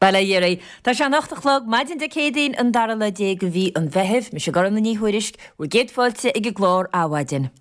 Bail ó Dhia oraibh. Tá sé an 8 a chlog, maidin Dé Céadaoin, an dara lá de mhí an Mheithimh. Mise Gormfhlaith Ní Thuairisg, bhur gcéad fáilte ag an gclár Adhmhaidin.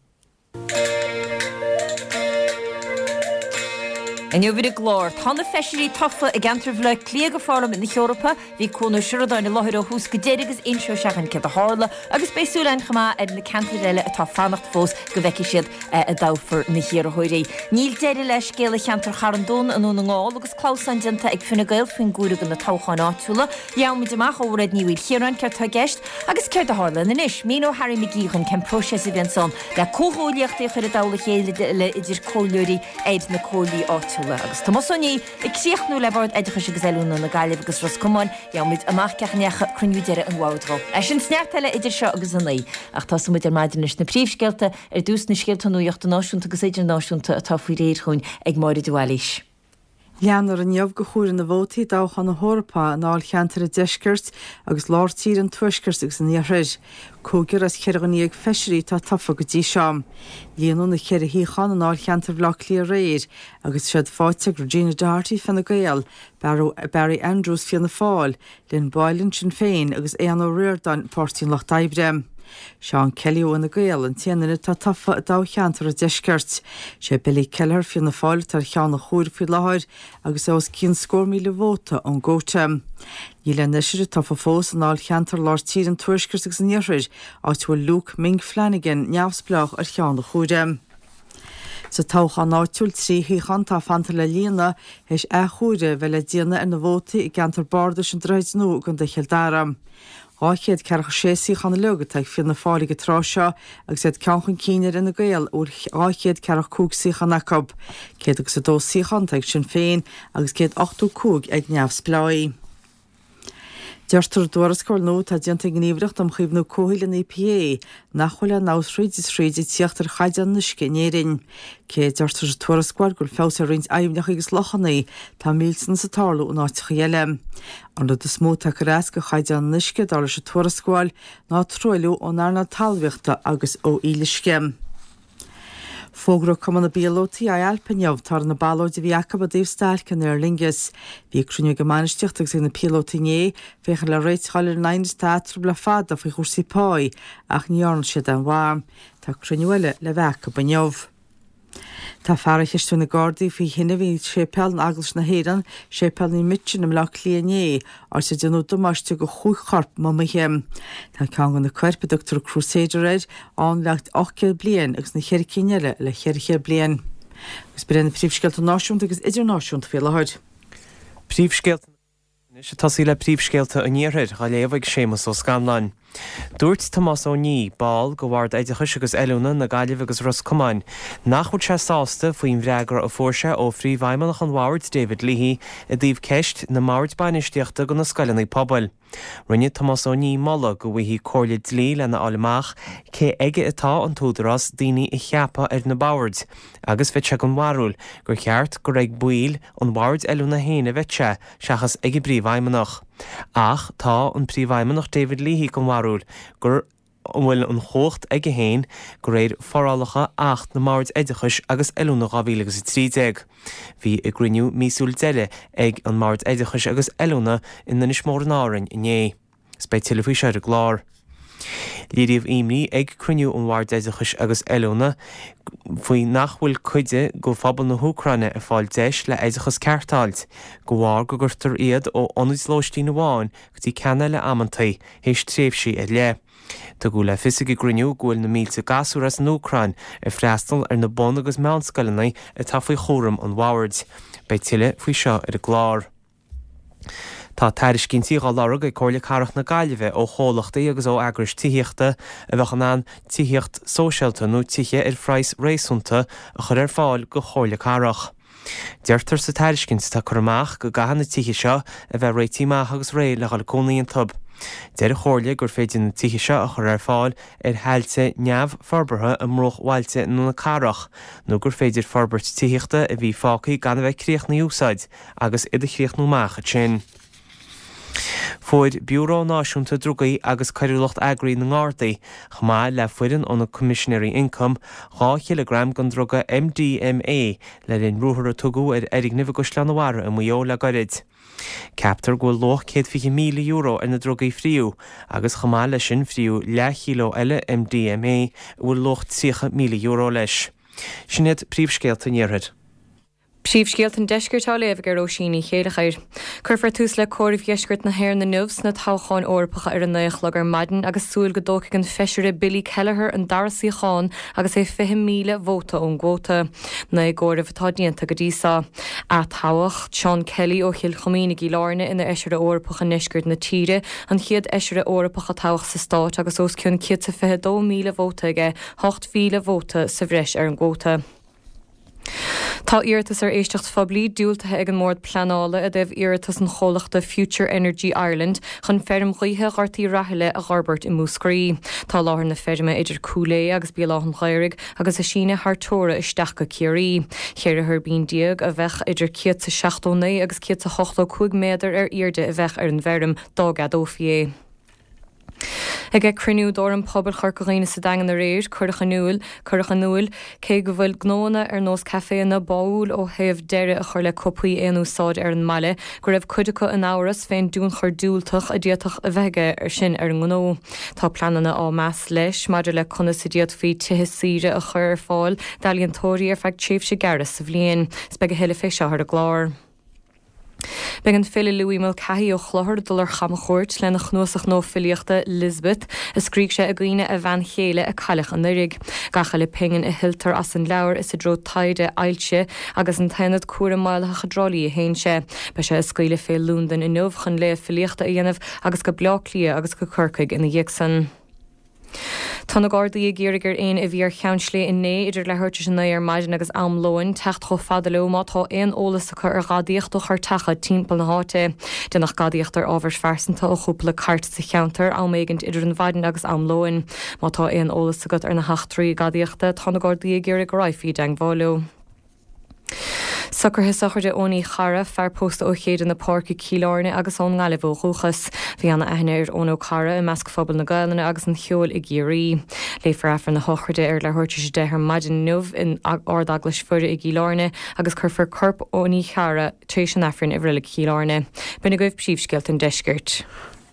Inniu ar an gclár, tá na feisirí tofa i gceantar Bhaile Átha Cliath do Pharlaimint na hEorpa. Bhí Cuan Ó Seireadáin i láthair ó thús go deireadh agus inseoidh sé dhúinn céard a tharla agus beidh súil againn chomh maith ar na ceantair eile atá ag fanacht fós go bhfeicfidh siad a dtoghfar na hiarrthóirí. Níl deireadh le scéala cheantar Charn Domhain i nDún na nGall agus clamhsán déanta ag Fine Gael faoin gcomhaireamh do na toghcháin áitiúla. Gheobhaimid amach ó Mhairéad Ní Mhaoilchiaráin céard tá i gceist agus céard a tharlaíonn anois. Míneoidh Harry McGee dhúinn cén próiseas a bhíonns ann le comhghuaillíochtaí a chur i dtoll a chéile idir comhairleoirí ar na comhairlí áitiúla. Agus Tomás Ó Niaidh ag críochnú le Bord Oideachais agus Oiliúna na Gaillimhe agus Ros Comáin, gheobhaimid amach cén chaoi a ndeachaigh cruinniú deiridh an bhoird dhó. É sin 's neart eile idir seo agus a naoi. Ach tosóidh muid ar maidin leis na príomhscéalta, ar dtús na scéalta nuachta náisiúnta agus idirnáisiúnta atá faoi réir dhúinn ag Máire de Bhailís. Leanfar inniu de chomhaireamh na vótaí i dtoghchán na hEorpa i ndáilcheantair an Deiscirt agus Lár Tíre, an Tuaiscirt agus an Iarthair. Cúigear as cheithre dhuine dhéag feisirí atá tofa go dtí seo. Líonadh na ceithre shuíochán i ndáilcheantar Bhaile Átha Cliath aréir agus tá siad faighte ag Regina Doherty, Fine Gael, Barry Andrews, Fianna Fáil, Lynn Boylan, Sinn Féin, agus Aodhán Ó Ríordáin, Páirtí an Lucht Oibre. Seán Kelly ó Fhine Gael an t-aon duine atá tofa i dtoghcheantar an Deiscirt. Sé Billy Kelleher, Fianna Fáil, atá ar cheann an chomhairimh faoi láthair agus é os cionn scór míle vóta ón gcuóta. Níl aon fheisire tofa fós i ndáilcheantar Lár Tíre an Tuaiscirt agus an Iarthair, áit a bhfuil Luke Ming Flanagan, neamhspleách, ar cheann an chomhairimh. Sa toghchán áitiúil, 3 shuíochán atá fanta le líonadh théis athchomhaireamh a bheith le déanamh ar na vótaí i gceantar bardais an Droichid Nua i gContae Chill Dara. 246 suíochán uilig atá ag Fianna Fáil ag an tráth seo agus iad ceann chun cinn ar Fhine Gael a bhfuil 245 suíochán acu. 102 suíochán atá ag Sinn Féin agus 185 ag neamhspleáigh. Deirtear i dtuarascáil nua atá déanta ag an nGníomhaireacht um Chaomhnú Comhshaoil, an EPA, nach bhfuil aon fheabhas thríd is thríd ag tíocht ar chaighdeán an uisce in Éirinn. Cé a deirtear sa tuarascáil go bhfuil feabhas ar roinnt aibhneacha agus lochanna, tá millteanas ag tarlú in áiteacha eile. An rud is mó atá ag cur as do chaighdeán an uisce, dar leis an tuarascáil, ná truailliú ón earnáil talmhaíochta agus ó fhuíolluisce. Fógraíodh Cumann na bPíolótaí, IALPA, inniu toradh na ballóide a bhí acu i dtaobh stailc in Aer Lingus. Bhí cruinniú ag an mbainistíocht agus ag na píolótaí inné féachaint le réiteach a fháil ar an aighneas atá eatarthu le fada faoi chúrsaí páí ach ní dhearna siad aon mhaith. Tá cruinniú eile le bheith acu inniu. Tá fear á cheistiú ag na Gardaí faoi thine a bhí i séipéal in Eaglais na hÉireann, Séipéal Naomh Michan i mBleá Cliath inné, áit ar déanadh damáiste do chúig chorp mumaithe. Tá ceann de na coirp, a dtugtar Crusader air, ann le 800 bliain agus na ceithre cinn eile le 400 bliain. Agus b'in iad na príomhscéalta náisiúnta agus idirnáisiúnta faoi láthair. Príomhscéalta na Anois ag tosaí le príomhscéalta an Iarthair, á léamh ag Séamus Ó Scanláin. Dúirt Tomás Ó Niaidh, ball de Bhord Oideachais agus Oiliúna na Gaillimhe agus Ros Comáin, nach bhfuil sé sásta faoin bhfreagra a fuair sé ó Phríomhfheidhmeannach an Bhoird, David Leahy, i dtaobh ceist na mbord bainistíochta do na scoileanna pobail. Rinne Tomás Ó Niaidh moladh go bhfaighfí comhairle dlí lena fháil amach cé aige atá an t-údarás daoine a cheapadh ar na boird agus bheadh sé den bharúil gur cheart gur ag baill an bhoird oiliúna féin a bheadh sé seachas ag an bPríomhfheidhmeannach. Ach tá an Príomhfheidhmeannach David Leahy den bharúil go bhfuil an chumhacht aige féin de réir forálacha Acht na mBord Oideachais agus Oiliúna 2013. Bhí a gcruinniú míosúil deiridh ag an mBord Oideachais agus Oiliúna in Inis Mór in Árainn inné. Is beidh tuilleadh faoi seo ar an gclár. Léiríodh imní ag cruinniú an Bhoird Oideachais agus Oiliúna faoi nach bhfuil cuid de phobal na hÚcráine ag fáil deis le oideachas ceart a fháilt, de bharr go gcuirtear iad ó ionad lóistín amháin go dtí ceann eile amantaí théis tréimhsí ar leith. Tugadh le fios ag an gcruinniú go bhfuil na mílte gasúr as an Úcráin ag freastal ar na bun agus meánscoileanna atá faoi chúram an Bhoird. Beidh tuilleadh faoi seo ar an gclár. Tá tairiscintí á lorg ag Comhairle Cathrach na Gaillimhe ó chomhlachtaí agus ó eagrais tithíochta a bheadh in ann tithíocht sóisialta nó tithe ar phraghas réasúnta a chur ar fáil go Chomhairle Cathrach. Deirtear sa tairiscint atá curtha amach go gcaithfidh na tithe seo a bheith réitithe amach agus réidh le dhul ag cónaí iontu. Deir an Chomhairle gur féidir na tithe seo a chur ar fáil ar thailte neamhforbartha i mbruachbhailte na cathrach nó gur féidir forbairt tithíochta a bhí fágtha gan a bheith críochnaithe a úsáid agus iad a chríochnú amach ansin. Fuair Biúró Náisiúnta Drugaí agus Coiriúlacht Eagraithe na nGardaí, chomh maith le foireann ó na Coimisinéirí Ioncaim, 2 chileagram den druga MDMA le linn ruathar a tugadh ar fhoirgneamh i gCaisleán an Bharraigh i Maigh Eo le goirid. Ceaptar go bhfuil luach €120,000 ar na drugaí a fríodh agus chomh maith leis sin fríodh leathchíleo eile MDMA a bhfuil luach €30,000 leis. Sin iad príomhscéalta an Iarthair. Príomhscéalta an Deiscirt á léamh ag Róisín Ní Chéileachair. Cuirfear tús le comhaireamh dheisceart na hÉireann inniu sna toghcháin Eorpacha ar a 9 a chlog ar maidin agus súil go dtógfaidh an feisire Billy Kelleher an dara suíochán agus é 20,000 vóta ón gcuóta. 9 gcomhaireamh atá déanta go dtí seo. Atoghadh Seán Kelly ó Chill Choimín i gCill Airne ina Fheisire Eorpach i ndeisceart na tíre, an chéad Fheisire Eorpach a toghadh sa stát agus os cionn 122,000 vóta aige, 8,000 vóta sa bhreis ar an gcuóta. Tá iarratas ar éisteacht phoiblí diúltaithe ag an mBord Pleanála i dtaobh iarratas an chomhlachta Future Energy Ireland chun feirm ghaoithe Ghort Uí Rathaille a dh'fhorbairt i Múscraí. Tá láthair na feirme idir Cúil Aodha agus Béal Átha'n Ghaorthaidh agus ag síneadh thar teora isteach go Ciarraí. Cheithre thuirbín déag a bheadh idir 179 agus 185 méadar ar airde a bheadh ar an bhfeirm dá gceadófaí é. Ag cruinniú d'Fhóram Pobail Chorca Dhuibhne sa Daingean aréir, cuireadh in iúil, cuireadh in iúil, cé go bhfuil gnóanna ar nós caiféanna báúil ó thaobh deireadh a chur le cupaí aon úsáide ar an mbaile, go raibh cuid acu in amhras fén dtionchar diúltach a d'fhéadfadh a bheith aige sin ar an ngnó. Tá pleananna á meas leis maidir le conas a d'fhéadfaí tithe saoire a chur ar fáil d'ealaíontóirí ar feadh tréimhse gearra sa bhliain. 'S beidh a thuilleadh fé seo ar an gclár. Beidh an file Louis Mulcahy ó Chlochar ag dul ar chamchuairt lena chnuasach nua filíochta, Lisbeth, a scrígh sé i gcuimhne a bhean chéile a cailleadh anuraidh. Gach uile pingin a thuilltear as an leabhar is i dtreo taighde ailse agus an tAonad Cúraim Maolaitheach i dTrá Lí a théann sé. Beidh sé ag scaoileadh fé Londain inniu chun léamh filíochta a dhéanamh agus go Bleá Cliath agus go Corcaigh ina dhiaidh san. Tá na Gardaí ag iarraidh ar éinne a bhí ar Cheann Sléibhe inné idir leathuair tar éis a 9 ar maidin agus am lóin teacht chomh fada leo má tá aon eolas acu ar ghadaíocht ó chairteacha timpeall na háite. Déanadh gadaíocht ar ábhair phearsanta ó chúpla cairt sa cheantar am éigint idir an mhaidin agus am lóin. Má tá aon eolas agat ar na heachtraí gadaíochta, tá na Gardaí ag iarraidh go raghfaí i dteangmháil leo. Socruithe sochraide Eoin Uí Charra, fear pósta ó Chéide na Páirce, Cill Airne agus ón nGaillimh ó dhúchas. Bhí ana aithne ar Eoin Ó Carra i measc phobal na Gaelainne agus an cheoil i gCiarraí. Léifear Aifreann na sochraide ar leathuair tar éis a 10 ar maidin inniu in Ard-Eaglais Mhuire i gCill Airne agus cuirfear corp Eoin Uí Charra tar éis an Aifrinn i Reilig Chill Airne. B'in agaibh príomhscéalta an deiscirt.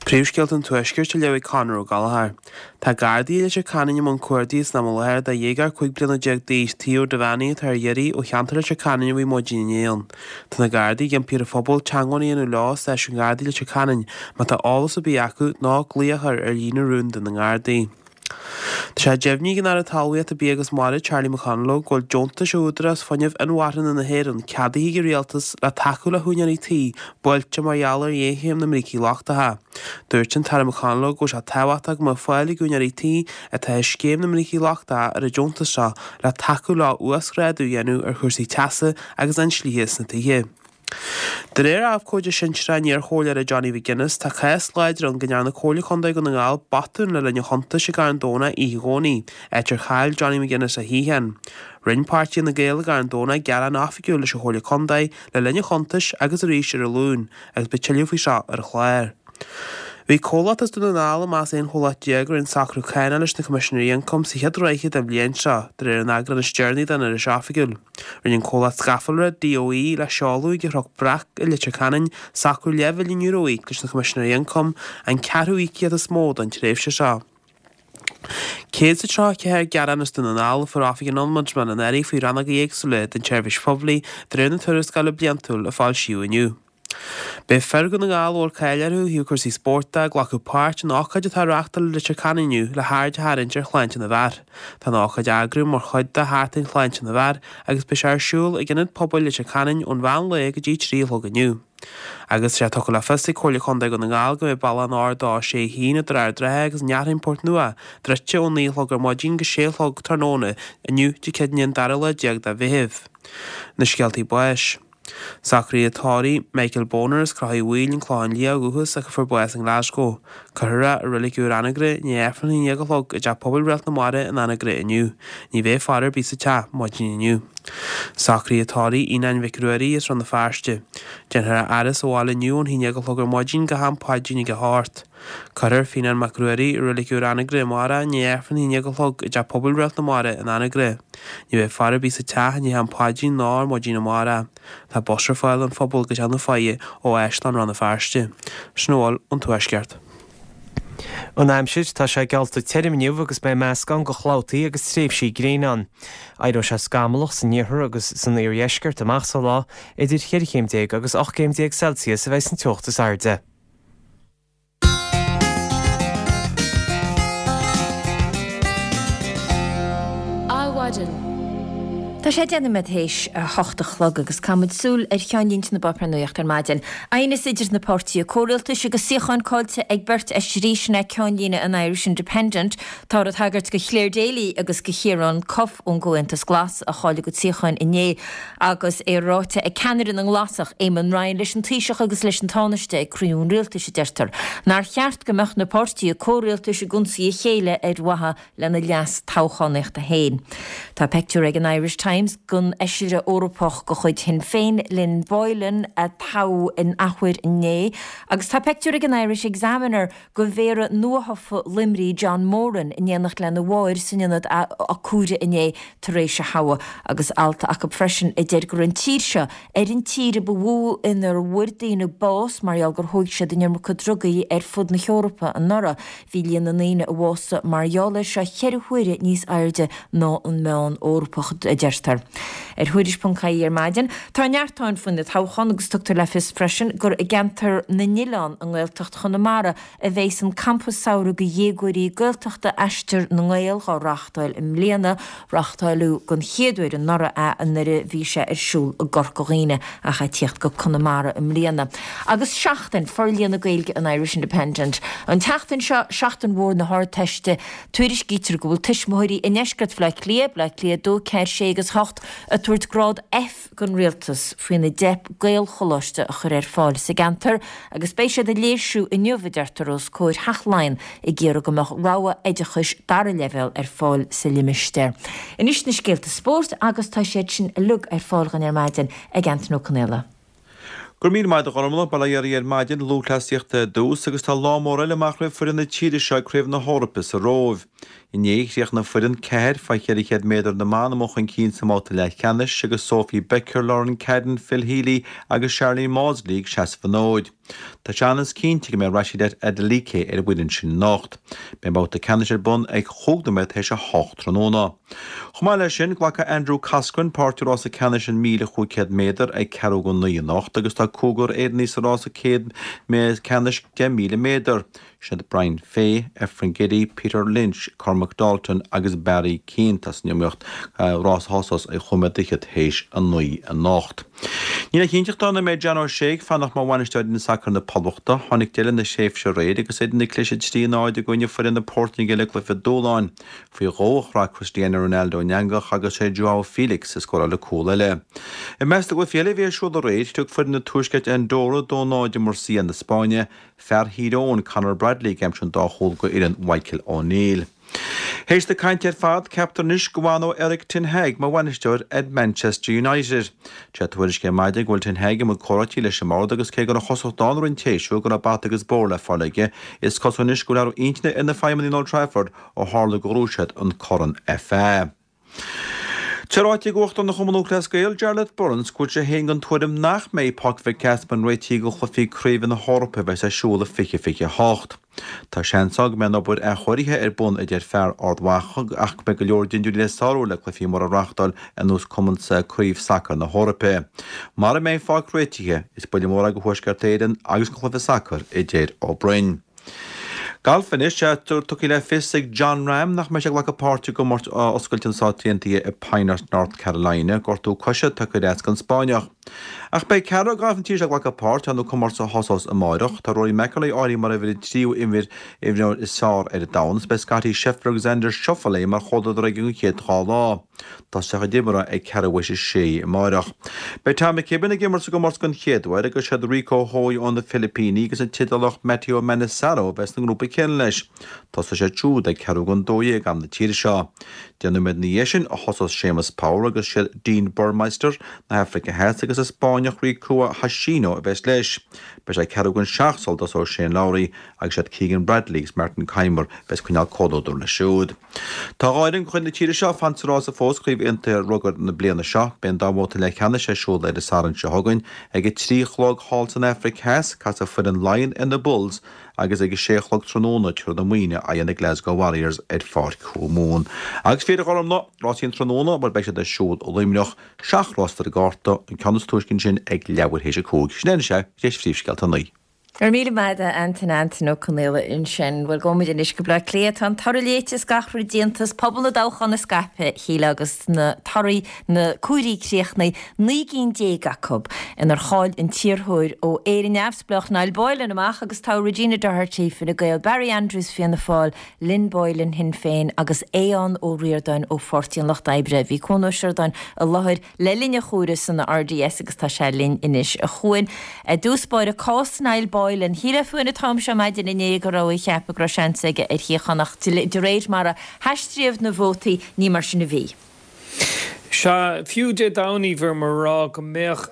Príomhscéalta an Tuaiscirt á léamh ag Conor Ó Gallchóir. Tá Gardaí i Leitir Ceanainn i mbun cuardaigh san am i láthair do dhéagóir 15 bliana d'aois, Theo Devaney, atá ar iarraidh ó cheantar Leitir Ceanainn ó bhí maidin inné ann. Tá na Gardaí ag impí ar an phobal teagmháil a dhéanamh leo i Stáisiún Gardaí Leitir Ceanainn má tá eolas ar bith acu nó glaoch a chur ar líne rúnda na nGardaí. Tá sé deimhnithe ag an Aire Talmhaíochta, Bia agus Mara, Charlie McConalogue, go bhfuil deontais ó Údarás Fuinnimh Inmharthana na hÉireann ceadaithe ag an Rialtas le tacú le húinéirí tí buailte mar gheall ar ghéarchéim na mbrící lochtacha. Dúirt an tAire McConalogue go bhfuil sé tábhachtach go mbeadh fáil ag úinéirí tí atá i scéim na mbrící lochtacha ar an deontas seo le tacú leo uasghrádú a dhéanamh ar chúrsaí teasa agus inslithe sna tithe. De réir abhcóide sinsearach an iarchomhairleora Johnny McGuinness, tá cás láidir ann go ndearna Comhairle Contae Dhún na nGall botún le linn an chuntais i gCarn Domhnach oíche Dhomhnaigh, áit ar chaill Johnny McGuinness a shuíochán. Rinne páirtí Fhine Gael i gCarn Domhnach gearán oifigiúil leis an Chomhairle Contae le linn an chuntais agus arís ar an Luan, agus beidh tuilleadh faoi seo ar an chlár. Bhí comhlacht as Dún na nGall i measc 11 chomhlacht a rinne socrú cánach leis na Coimisinéirí Ioncaim sa chéad ráithe den bhliain seo, de réir an eagráin is deireanaí den Iris Oifigiúil. Rinne an comhlacht scafallra DOE le seoladh ag an Chnoc Breac i Leitir Ceanainn socrú leathmhilliún euro a íoc leis na Coimisinéirí Ioncaim, an ceathrú íocaíocht is mó don tréimhse seo. 134 gearán as Dún na nGall a fuair Oifig an Ombudsman anuraidh faoi rannóga éagsúla den tseirbhís phoiblí, de réir na tuarascála bliantúil a foilsíodh inniu. Beidh fir Dhún na nGall a bhfuil cáil orthu ó thaobh cúrsaí spóirt de ag glacadh páirt in ócáid atá á reáchtáil i Leitir Ceanainn inniu le haird a tharraingt ar shláinte na bhfear. Tá an ócáid á eagrú mar chuid de Sheachtain Shláinte na bhFear agus beidh sé ar siúl ag Ionad Pobail Leitir Ceanainn ón mheán lae go dtí 3 a chlog inniu. Agus tá sé tugtha le fios ag Comhairle Contae Dhún na nGall go mbeidh bealach an R261 idir Ard an Rátha agus an Fhearthainn, Port Nua, druidte ó 9 a chlog ar maidin go 6 a chlog tráthnóna inniu, Dé Céadaoine an dara lá déag de Mheitheamh. Na scéaltaí báis. Socruithe tórraimh Michael Boner as Crochaidh Mhaoil, An Clochán Liath ó dhúchas ach a fuair bás i nGlasgow. Cuirfear é i Reilig Úr Anagaire i ndiaidh Aifreann a haon déag a chlog i dTeach Pobail Réalt na Mara in Anagaire inniu. Ní bheidh faire ar bith sa teach maidin inniu. Socruithe tórraimh Fhíonáin Mhic Ruairí as Rann na Feirste. Déanfar é a fhaire sa bhaile inniu ón haon déag a chlog ar maidin go ham paidrín ag a hocht. Cuirfear Fíonán Mac Ruairí i Reilig Úr Anagaire amárach i ndiaidh Aifreann a haon déag a chlog i dTeach Pobail Réalt na Mara in Anagaire. Ní bheidh faire ar bith sa teach i ndiaidh am paidrín ná ar maidin amárach. Tá bus ar fáil don phobal go Teach na Faiche ó Áislann Rann na Feirste. Sin a bhfuil ón Tuaisceart. An aimsir, Tá sé geallta tirim inniu agus beidh meascán de chlabhtaí agus tréimhsí gréine ann. Éireoidh sé scamallach san iarthar agus san iardheisceart amach sa lá, idir cheithre chéim déag agus 18 gcéim Celsius a bheidh san teocht is airde. Adhmhaidin. Tá sé 10 nóiméad théis a hocht a chlog agus caithfimid súil ar cheannlínte na bpáipéar nuachta ar maidin. Aighneas idir na páirtithe comhrialtais agus suíocháin caillte ag beirt fheisirí, sin é ceannlíne an Irish Independent. Táthar ag tagairt do Clare Daly agus do Chiarán Cuffe ón gComhaontas Glas a chaill a gcuid suíocháin inné. Agus é ráite ag ceannaire na nGlasach, Eamon Ryan, leis an Taoiseach agus leis an Tánaiste ag cruinniú an Rialtais, a deirtear, nár cheart go mbeadh na páirtithe comhrialtais ag ionsaí a chéile ar mhaithe lena leas toghchánaíochta féin. Tá peictiúr ag an Irish Times den fheisire Eorpach de chuid Shinn Féin, Lynn Boylan, a toghadh in athuair inné, agus tá peictiúr ag an Irish Examiner de mhéara nuathofa Luimnigh John Moran in éineacht lena mháthair san ionad cuaire inné tar éis a thoghadh agus alt acu freisin a deir go raibh an tír seo ar an tír a ba mhó inar bhfuair daoine bás mar gheall gur thóig siad an iomarca drugaí ar fud na hEorpa anuraidh. Bhí líon na ndaoine a bhásaigh mar gheall air seo cheithre huaire níos airde ná an meán Eorpach, a deirtear. Ar Thuairisc.ie ar maidin, tá neart ann faoi na toghcháin agus tugtar le fios freisin gur i gceantar na nOileán i nGaeltacht Chonamara a bheas an campa samhraidh do dhéagóirí Gaeltachta Aistear na nGael dhá reáchtáil i mbliana. Reáchtáileadh den chéad uair anuraidh é nuair a bhí sé ar siúl i gCorca Dhuibhne ach é ag tíocht go Conamara i mbliana. Agus Seachtain Forlíonadh Gaeilge an Irish Independent. An tseachtain seo, seachtain mhór na hArdteiste, tuairiscítear go bhfuil tuismitheoirí i ndeisceart Bhaile Átha Cliath, Baile Átha Cliath 2, 4, 6 agus 8, ag tabhairt grád F don rialtas faoina dteip Gaelcholáiste a chur ar fáil sa gceantar agus beidh siad ag léirsiú inniu, a deirtear, os comhair Theach Laighean ag iarraidh go mbeadh rogha oideachais dara leibhéal ar fáil sa limistéar. Anois na scéalta spóirt agus tá siad sin uilig ar fáil dhuinn ar maidin ag Antain Ó Conaola. Go raibh míle maith agat a Ghormfhlaith, bail ó Dhia oraibh ar maidin, lúthchleasaíocht ar dtús agus tá lá mór eile amach roimh foireann na tíre seo ag Craobh na hEorpa sa Róimh. Inné, chríochnaigh foireann 4 fá 400 méadar na mban amuigh chun cinn sa mbabhta leathcheannais agus Sophie Becker, Lauren Cadden, Phil Healy agus Sharlene Mawdsley ag seasamh an fhóid. Tá sé an-chinnte go mbeidh Rhasidat Adeleke ar an bhfoireann sin anocht. Beidh an babhta ceannais ar bun ag chúig nóiméad tar éis a hocht tráthnóna. Chomh maith leis sin, glacfaidh Andrew Coscoran páirt i rása ceannais an 1,500 méadar ag ceathrú go naoi anocht agus tá cúigear Éireannaigh sa rása céad ceannais 10,000 méadar. Sin iad Brian Fay, Efren Geddie, Peter Lynch, Cormac Dalton agus Barry Keane. Tá san iomaíocht, rás a thosós ag chúig nóiméad fhichead théis a naoi anocht. Níl aon chinnteacht ann an mbeidh John O'Shea ag fanacht mar bhainisteoir fhoireann sacair na Poblachta. Tháinig deireadh lena thréimhse aréir agus iad ag cliseadh 3-0 i gcoinne foireann na Portaingéile i gcluiche dúshláin. Faoi dhó a chroith Cristiano Ronaldo an eangach agus sé Joao Felix a scóráil an cúl eile. I measc na gcluichí eile a bhí ar siúl aréir, shlog foireann an Tuaiscirt Andorra 2-0 i Murcia na Spáinne, Fear Thír Eoghain, Conor Bradley ag aimsiú an dá chúl go fhoireann Mhichael O'Neill. Théis na cainte ar fad, ceaptar anois go bhfanóidh Erik ten Hag mar bhainisteoir ar Manchester United. Sé tuairisc ar maidin go bhfuil Ten Hag i mbun comhráití leis an mbord agus cé go raibh an chosaint ann i rith an tséasúir go raibh bata agus bóthar le fáil aige, is cosúil anois go bhfuil athrú intinne ar na feidhmeannaigh in Old Trafford ó tharla gur ghnóthaigh siad an Corn FA. Tá ráite ag Uachtarán Chumann Lúthchleas Gael, Jarlath Burns, go bhfuil sé féin den tuairim nach mbeidh Páirc Mhic Easmainn réitithe do chluichí craoibhe na hEorpa a bheas ar siúl i 2028. Tá seans ann go mbeidh an obair athchóirithe ar bun, a deir fear Ard Mhacha, ach go mbeidh go leor dindiúirí le sárú le cluichí móra a reáchtáil ar nós Cumann Craobh Sacair na hEorpa. Mara mbeidh an pháirc réitithe, is buille mór é do Thuaisceart Éireann agus don chluiche sacair, a deir Ó Broin. Galf anois, tá tugtha le fios ag Jon Rahm nach mbeidh sé ag glacadh páirte i gcomórtas Oscailte na Stát Aontaithe i Pinehurst, North Carolina. Gortú coise tagtha ar ais don Spáinneach. Ach beidh ceathrar gailf na tíre seo ag glacadh páirt ar na comórtais a thosós amáireach. Tá Rory McIlroy áirithe mar uimhir an tríú imreoir is fearr ar domhan agus beidh Scottie Scheffler agus Xander Schauffele mar chomhluadar aige an chéad dá lá. Tosóidh siad imeartha ag ceathrú théis a sé amáireach. Beidh Tom McKibbin ag imirt sa gcomórtas den chéad uair agus siad Rico Hoey ó na Filipíní agus an tIodálach Matteo Manassero a bheas sa ngrúpa céanna leis. Tosóidh siad siúd ag ceathrú don 12 am na tíre seo. Deich nóiméad ina dhiaidh sin a thosós Séamus Power agus siad Dean Burmester na hAfraice Theas agus an Spáinneach Rikuya Hoshino a bheas leis. Beidh sé ceathrú don seacht sula dtosóidh Shane Lowry agus siad Keegan Bradley agus Martin Kaymer a bheas ag coinneáil comhluadar leis siúd. Tá dhá fhoireann de chuid na tíre seo ag fanacht sa rása fós Craobh Aontaithe Rugair na bliana seo. Beidh an dá bhabhta leathcheannais ar siúl ar an Satharn seo chugainn. Ag a 3 a chlog thall san Afraic Theas, casfaidh foireann Laighean ar na Bulls agus ag a sé a chlog tráthnóna tabharfaidh na Muimhnigh aghaidh ar na Glasgow Warriors ar Pháirc Thuamumhan. Agus fir Ghormlaith, rásaí an tráthnóna, bhuel beidh siad ar siúl i Luimneach, seacht rás ar an gcárta, an ceann is túisce ansin ag leathuair théis a 5. Sin é anois é, tar éis phríomhscéalta a naoi. Go raibh míle maith agat a Antain, Antain Ó Conaola ansin. Bhuel, gabhfaidh muid anois go Bleá Cliath. Tá an toradh léite is gach rud déanta is pobal na dtoghchán scaipthe, a Shíle, agus na torthaí na comhairí críochnaithe, 19 gcinn acu inar chaill an t-iarrthóir ó Éire Neamhspleách Niall Boylan amach agus toghadh Regina Doherty, Fine Gael, Barry Andrews, Fianna Fáil, Lynn Boylan, Shinn Féin, agus Aodhán Ó Ríordáin ó Pháirtí an Lucht Oibre. Bhí Cuan Ó Seireadáin i láthair le linn an chomhairimh san RDS agus tá sé linn anois. A Chuain, i dtús báire, cás Niall Boylan. Shílfeá an t-am seo maidin inné go raibh ag ceapadh go raibh seans aige ar shuíochán ach de réir mar a haistríodh na vótaí ní mar sin a bhí. Sea, fiú Dé Domhnaigh bhíomar ag rá go mbeadh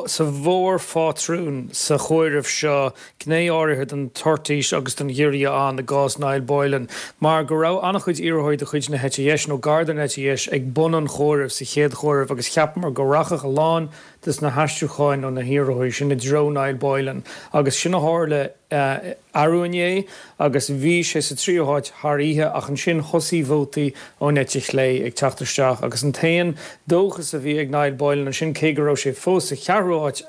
sa mhórphátrún sa chomhaireamh seo gné áirithe den toirtís agus den ghiorria ann i gcás Niall Boylan mar go raibh an-chuid iarrthóirí de chuid na heite dheis nó gar don eite dheis ag bun an chomhairimh sa chéad chomhaireamh agus cheapamar go rachadh a lán de na haistriúcháin ó na hiarrthóirí sin i dtreo Niall Boylan agus sin a tharla arú inné agus bhí sé sa tríú háit thar oíche ach ansin thosaigh vótaí ón eite chlé ag teacht isteach agus an t-aon dóchas a bhí ag Niall Boylan ansin, cé go raibh sé fós sa cheathrú háit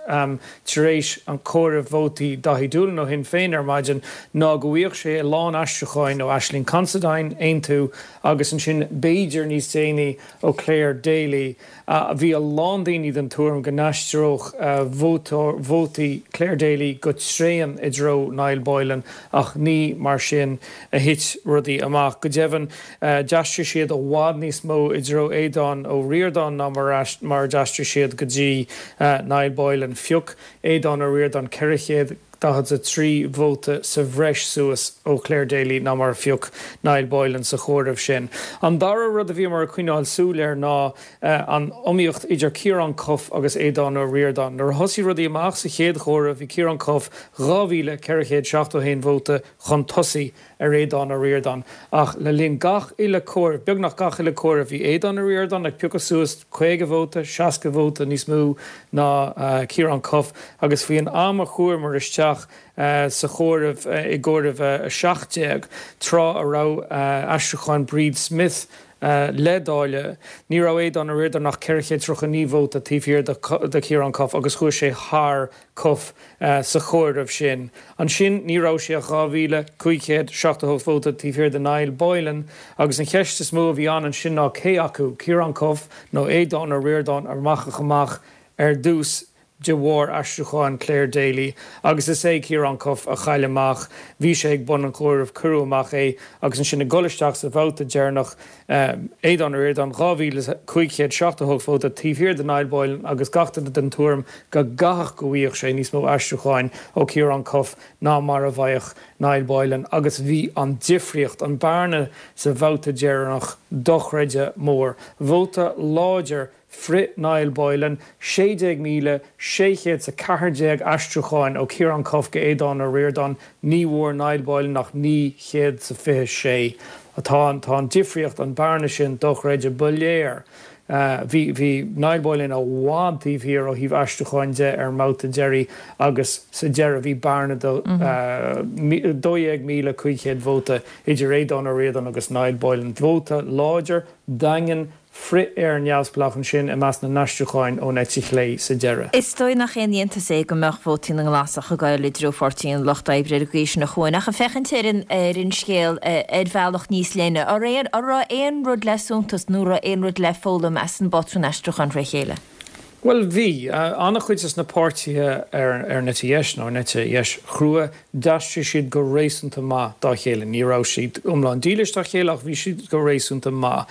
tar éis an chomhairimh vótaí Daithí Doolan ó Shinn Féin ar maidin, ná go bhfaigheadh sé a lán aistriúcháin ó Ashling Considine, Aontú, agus ansin b'fhéidir níos déanaí ó Clare Daly. Bhí a lán daoine den tuairim go n-aistreodh vótaí Clare Daly go tréan i dtreo Niall Boylan ach ní mar sin a thit rudaí amach. Go deimhin, d'aistrigh siad i bhfad níos mó i dtreo Aodhán Ó Ríordáin ná mar a d'aistrigh siad go dtí Niall Boylan. Phioc Aodhán Ó Ríordáin 443 vóta sa bhreis suas ó Clare Daly ná mar a phioc Niall Boylan sa chomhaireamh sin. An dara rud a bhíomar ag coinneáil súil air ná an iomaíocht idir Ciarán Cuffe agus Aodhán Ó Ríordáin. Nuair a thosaigh rudaí amach sa chéad chomhaireamh bhí Ciarán Cuffe 2,471 vóta chun tosaigh ar Aodhán Ó Ríordáin ach le linn gach uile comhaireamh, beagnach gach uile comhaireamh, bhí Aodhán Ó Ríordáin ag piocadh suas 50 vóta, 60 vóta níos mó ná Ciarán Cuffe agus faoin am a chuamar isteach sa chomhaireamh i gcomhaireamh 17, tráth a raibh aistriúcháin Bríd Smith le dáileadh, ní raibh Aodhán Ó Ríordáin ach 439 vóta taobh thiar de Chiarán Cuffe agus chuaigh sé thar Cuffe sa chomhaireamh sin. Ansin ní raibh sé ach 2,578 vóta taobh thiar de Niall Boylan agus an cheist is mó a bhí ann ansin ná cé acu, Ciarán Cuffe nó Aodhán Ó Ríordáin a rachadh amach ar dtús de bharr aistriúcháin Clare Daly agus is é Ciarán Cuffe a chaill amach. Bhí sé ag bun an chomhairimh, cuireadh amach é agus ansin ag dul isteach sa bhabhta deireanach, Aodhán Ó Ríordáin, 2,578 vóta taobh thiar de Niall Boylan agus gach duine den tuairim go gcaithfeadh go bhfaigheadh sé níos mó aistriúcháin ó Ciarán Cuffe ná mar a bhfaigheadh Niall Boylan agus bhí an difríocht, an bearna sa bhabhta deireanach dochreidte mór. Vóta láidir frith Niall Boylan, 16,614 aistriúcháin ó Ciarán Cuffe go Aodhán Ó Ríordáin, ní bhfuair Niall Boylan ach 926. Tá tá an difríocht, an bearna sin dochreidte. Ba léir. Bhí bhí Niall Boylan i bhfad taobh thiar ó thaobh aistriúcháin de ar an mbabhta deiridh agus sa deireadh bhí bearna de 12,500 vóta idir Aodhán Ó Ríordáin agus Niall Boylan. Vóta láidir, daingean, frith-Éire Neamhspleách ansin i measc na n-aistriúcháin ón eite chlé sa deireadh. Is dóigh nach aon iontas é go mbeadh vótaí na nGlasach ag dul i dtreo Pháirtí an Lucht Oibre ar an gcaoi sin a Chuain, ach ag féachaint ar an ar an scéal ar bhealach níos leithne, an raibh aon rud le suntas nó an raibh aon rud le foghlaim as an bpátrún aistriúcháin fré chéile? Bhuel, bhí. An-chuid des na páirtithe ar an eite dheis, nó an eite dheis chrua, d'aistrigh siad go réasúnta maith dá chéile. Ní raibh siad iomlán dílis dá chéile ach bhí siad go réasúnta maith.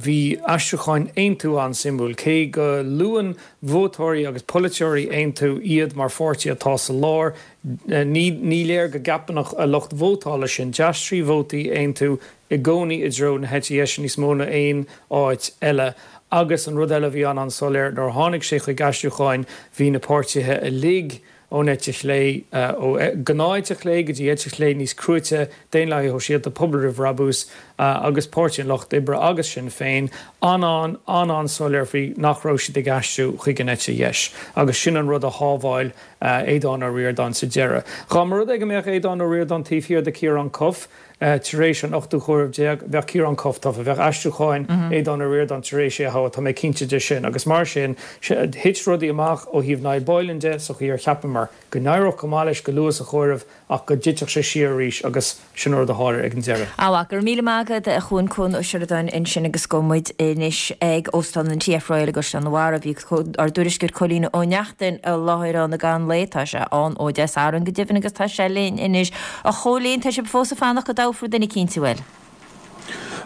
Bhí aistriúcháin Aontú an-suimiúil. Cé go luann vótóirí agus polaiteoirí Aontú iad mar pháirtí atá sa lár, ní léir go gceapann a lucht vótála sin. D'aistrigh vótaí Aontú i gcónaí i dtreo na heite dheise níos mó ná aon áit eile agus an rud eile a bhí an-an-soiléir nuair a tháinig sé chuig aistriúcháin bhí na páirtithe uilig ón eite chlé, ó ghnáth-eite chlé go dtí eite chlé níos cruaite, Daonlathaithe Shóisialta, Pobal Roimh Bhrabús agus Páirtí an Lucht Oibre agus Sinn Féin, an-an-an-an-soiléir faoi nach raibh siad ag aistriú chuig an eite dheis agus sin an rud a shábháil Aodhán Ó Ríordáin sa deireadh. Dá mba rud é go mbeadh Aodhán Ó Ríordáin taobh thiar de Ciarán Cuffe, Tar éis an ochtú chomhaireamh bheadh Ciarán Cuffe tofa. Bheadh aistriúcháin Aodhán Ó Ríordáin tar éis é a thoghadh, tá mé cinnte de sin. Agus mar sin, thit rudaí amach ó thaobh Niall Boylan de sa chaoi ar cheapamar go n-éireodh go maith leis go luath sa chomhaireamh ach go dtitfeadh sé siar arís agus sin an rud a tharla ag an deireadh. Á, go raibh míle maith agat, a Chuain, Cuan Ó Seireadáin ansin agus gabhfaidh muid anois ag Óstán an TF Royal i gCaisleán an Bharraigh. Bhí ár dtuairisceoir Cóilín Ó Neachtain i láthair ann i gcaitheamh an lae. Tá sé ann ó Dé Sathairn go deimhin agus tá sé linn anois. A Chóilín, tá sibh fós ag fanacht go dtoghfar duine eicínt, an bhfuil?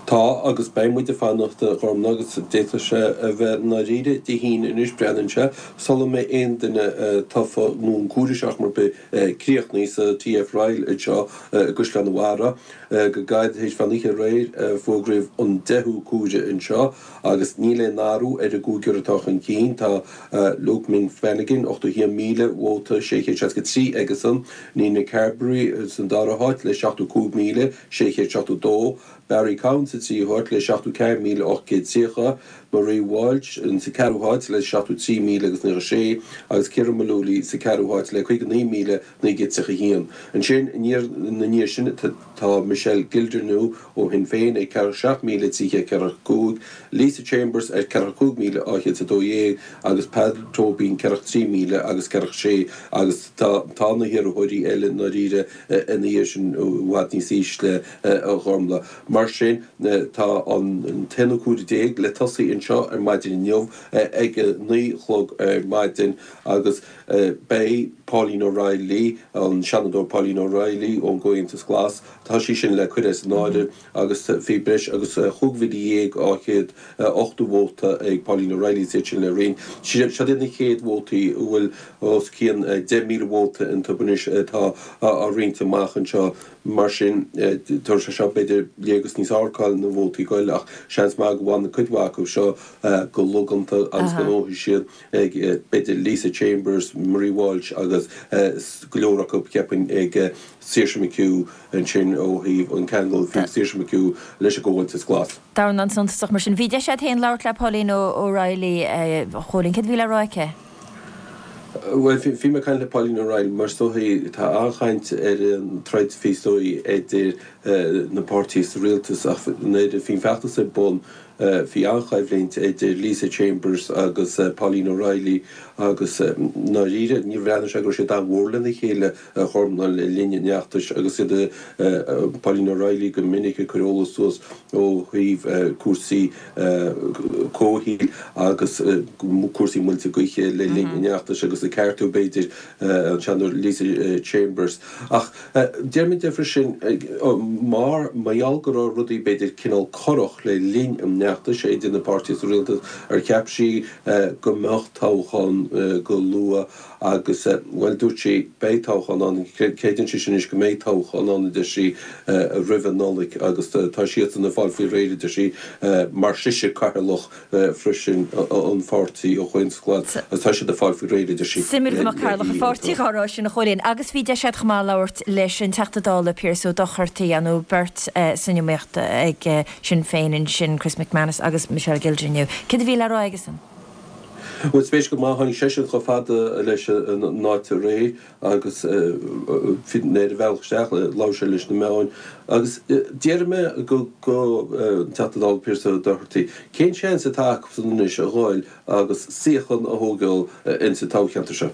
Tá, agus beidh muid ag fanacht, a Ghormfhlaith, agus d'fhéadfadh sé a bheith i ndáiríre Dé hAoine anois, breathnaíonn sé, sula mbeidh aon duine tofa nó an comhaireamh ar chor ar bith críochnaithe sa TF Royal anseo i gCaisleán an Bharraigh. Go gairid tar éis mheán oíche aréir fógraíodh an deichiú comhaireamh anseo agus níl aon athrú ar an gcúigear atá chun cinn. Tá Luke Ming Flanagan, 81,000 vóta, 663 aigesan, Nina Carberry san dara háit le 75,672, Barry Cowen sa tríú háit le 74,830, Marie Walsh sa ceathrú háit le 73,000 agus 96 agus Ciara Mullooly sa ceathrú háit le 59,931. Ansin ina ndiaidh sin tá Michelle Gildernew ó Shinn Féin ag 47,345, Lisa Chambers ar 45,212 agus Peadar Tóibín 43,000 agus 46 agus tá tá na hiarrthóirí eile i ndáiríre ina dhiaidh sin i bhfad níos ísle a Ghormfhlaith. Mar sin tá an t-aonú comhaireamh le tosaí anseo ar maidin inniu ag a 9 a chlog ar maidin agus beidh Pauline O'Reilly, an Seanadóir Pauline O'Reilly ón gComhaontas Glas, Tá sí sin le cur as an áireamh agus bhí breis agus 15,280 vóta ag Pauline O'Reilly is iad sin le roinnt. Siod iad na chéad vótaí a bhfuil os cionn 10,000 vóta iontu anois atá á roinnt amach anseo. Mar sin, tabharfaidh sé seo b'fhéidir léargas níos fearr cá bhfuil na vótaí ag goil ach seans maith go bhfanfaidh cuid mhaith acu seo go logánta agus go ngnóthaíonn siad ag b'fhéidir Lisa Chambers, Marie Walsh agus go leor acu cheapfainn ag Saoirse McHugh ansin ó thaobh an ceangal a bhí ag Saoirse McHugh leis an gComhaontas Glas. Dornán suntasach mar sin. Bhí deis agat féin labhairt le Pauline O'Reilly, a Chóilín. Céard a bhí le rá aici? Bhuel, bhí mé ag caint le Pauline O'Reilly mar is dóichí tá an-chaint ar an troid faoi is dóigh idir na páirtithe sa rialtas ach nuair a bhí an feachtas ar bun Bhí an-choimhlint idir Lisa Chambers agus Pauline O'Reilly agus i ndáiríre níor bhreathnaigh sé go raibh siad an-mhór lena chéile a Ghormfhlaith le linn an fheachtais agus iad Pauline O'Reilly go minic ag cur eolas suas ó thaobh cúrsaí comhshaoil agus cúrsaí muilte gaoithe le linn an fheachtais agus ag ceartú b'fhéidir an Seanadóir Lisa Chambers. Ach deir mé di freisin, mar mar gheall go raibh rudaí b'fhéidir cineál corrach le linn an fheachtais idir na páirtithe sa rialtas, ar cheap sí go mbeadh toghchán go luath agus, bhuel, dúirt sí, beidh toghchán ann, creideann sí anois go mbeidh toghchán ann, a deir sí, roimh an Nollaig agus tá siadsan ag fáil faoi réir, a deir sí, mar sise cathaoirleach freisin an pháirtí an Chomhaontas Glas agus tá siad ag fáil faoi réir, a deir sí. Suimiúil go mbeadh cathaoirleach an pháirtí dhá rá sin a Chóilín. Agus bhí deis agat chomh maith labhairt leis an Teachta Dála Pearse Ó Dochartaigh, nó beirt san iomaíocht ag Sinn Féin ansin, Chris McManus agus Michelle Gildernew. Céard a bhí le rá aigesan? Bhuel, spéisiúil go maith, tháinig seisean chomh fada leis an áit aréir agus bhí ar a bhealach isteach, labhair sé leis na meáin agus déarfaidh mé go an Teachta Dála Pearse Ó Dochartaigh, cén seans atá acusan anois a dhul agus suíochán a thógáil insa toghcheantar seo?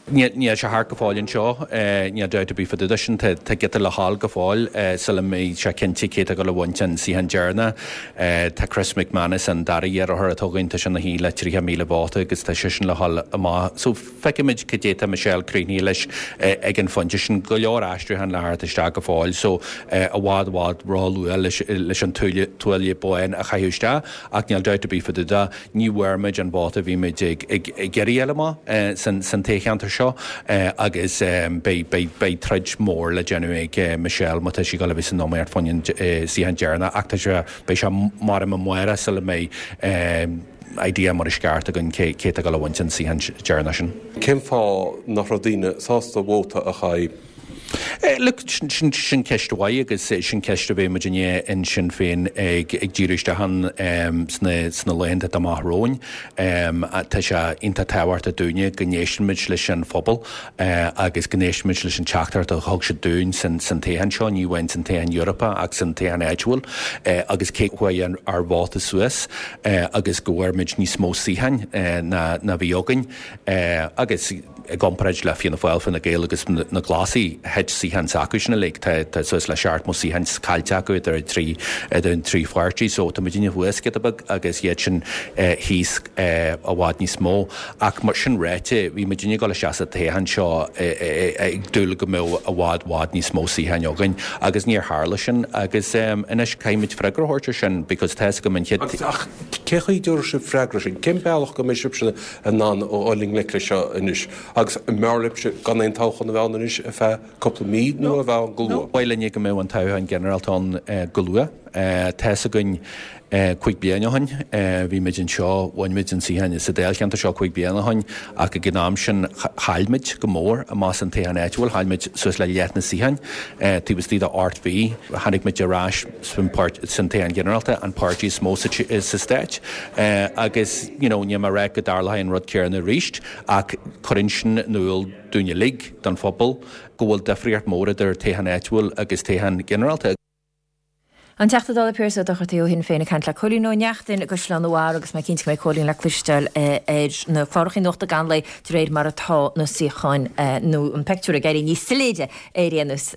Níl sé thart go fóill anseo, níl dabht ar bith fá dtaobh de sin. Tá giota le dhul go fóill sula mbeidh sé cinnte cé atá ag dul a bhaint an suíochán deireanach. Tá Chris McManus, an dara iarrthóir atá againn, tá sé ina shuí le 30,000 vóta agus tá seisean le dhul amach. So feicfimid cad é tá Michelle críochnaithe leis ag an phointe sin. Go leor aistriúchán le theacht isteach go fóill so i bhfad i bhfad ró-luath leis an tuaille bán a chaitheamh isteach ach níl dabht ar bith fá dtaobh de. Ní bhfuair muid an vóta a bhí muid ag iarraidh a fháil amach san toghcheantar seo agus beidh troid mhór le déanamh ag Michelle má tá sí ag dul a bheith san iomaíocht fán suíochán deireanach ach tá sé, beidh sé maram amárach sula mbeidh idea mar is ceart againn cé atá ag dul a bhaint an suíochán deireanach sin. Cén fáth nach raibh daoine sásta vóta a chaitheamh? Look, sin ceist mhaith agus sin ceist a bheidh muidinne in Sinn Féin ag díriú isteach ann sna laethanta atá amach romhainn. Tá sé iontach tábhachtach dúinne go n-éisteann muid leis an phobal agus go n-éisteann muid leis an teachtaireacht a thug siad dúinn san toghchán seo, ní amháin san toghchán Eorpach ach san toghchán áitiúil agus cé go chuaigh ár vóta suas agus go bhfuair muid níos mó suíocháin ná bhí againn agus I gcomparáid le Fianna Fáil, Fine Gael agus na Glasaigh, thit suíocháin s'acu sin uilig. Tá suas le 70 suíochán caillte acu idir an trí idir an trí pháirtí. So tá muidinne thuas giota beag agus iad sin thíos i bhfad níos mó. Ach mar sin ráite, bhí muidinne ag dul isteach sa toghchán seo ag dúil go mbeadh i bhfad bhfad níos mó suíocháin againn agus níor tharla sin agus anois caithfidh muid freagra a thabhairt ar sin because tá 'fhios agam an chéad Ach cé chaoi a dtabharfaidh sibh freagra sin? Cén bealach go mbeidh sibhse in ann a dhul i ngleic leis seo anois? Agus an mb'fhearr libhse gan aon toghchán a bheith ann anois ar feadh cúpla mí nó a bheith ann go luath? Ba mhaith linne go mbeadh an toghchán ginearálta ann go luath. Tá 'fhios againn cúig bliana ó shin, bhí muid anseo, bhain muid an suíochán sa dáilcheantar seo cúig bliana ó shin ach ag an am sin chaill muid go mór amach san toghchán áitiúil, chaill muid suas le leath na suíocháin taobh istigh de ocht mhí. Tháinig muid ar ais san toghchán ginearálta, an páirtí is mó sa stát agus you know níl mé ag rá go dtarlóidh an rud céanna arís ach cuireann sin in iúl dúinn uilig, don phobal, go bhfuil difríocht mhór idir toghchán áitiúil agus toghchán ginearálta. An Teachta Dála Pearse Ó Dochartaigh ó Shinn Féin ag caint le Cóilín Ó Neachtain i gCaisleán an Bharraigh agus mé cinnte go mbeidh Cóilín le cloisteáil ar na cláracha nuachta gan lae de réir mar atá na suíocháin nó an peictiúr ag éirí níos soiléire ar aon nós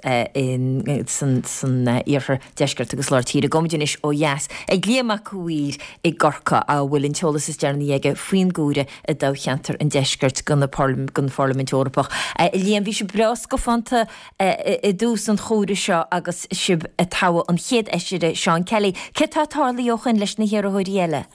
san iarthar, deisceart agus lár tíre. Gabhaimid anois ó dheas ag Liam Mac a' Mhaoir i gCorcaigh a bhfuil an t-eolas is deireanaí aige faoin gcomhaireamh i dtoghcheantar an Deiscirt don Pharlaimint Eorpach. A Liam, bhí sibh breá scafánta i dtús an chomhairimh seo agus sibh ag toghadh an chéad fheisire, Seán Kelly. Céard tá tarlaithe ó shoin leis na hiarrthóirí eile?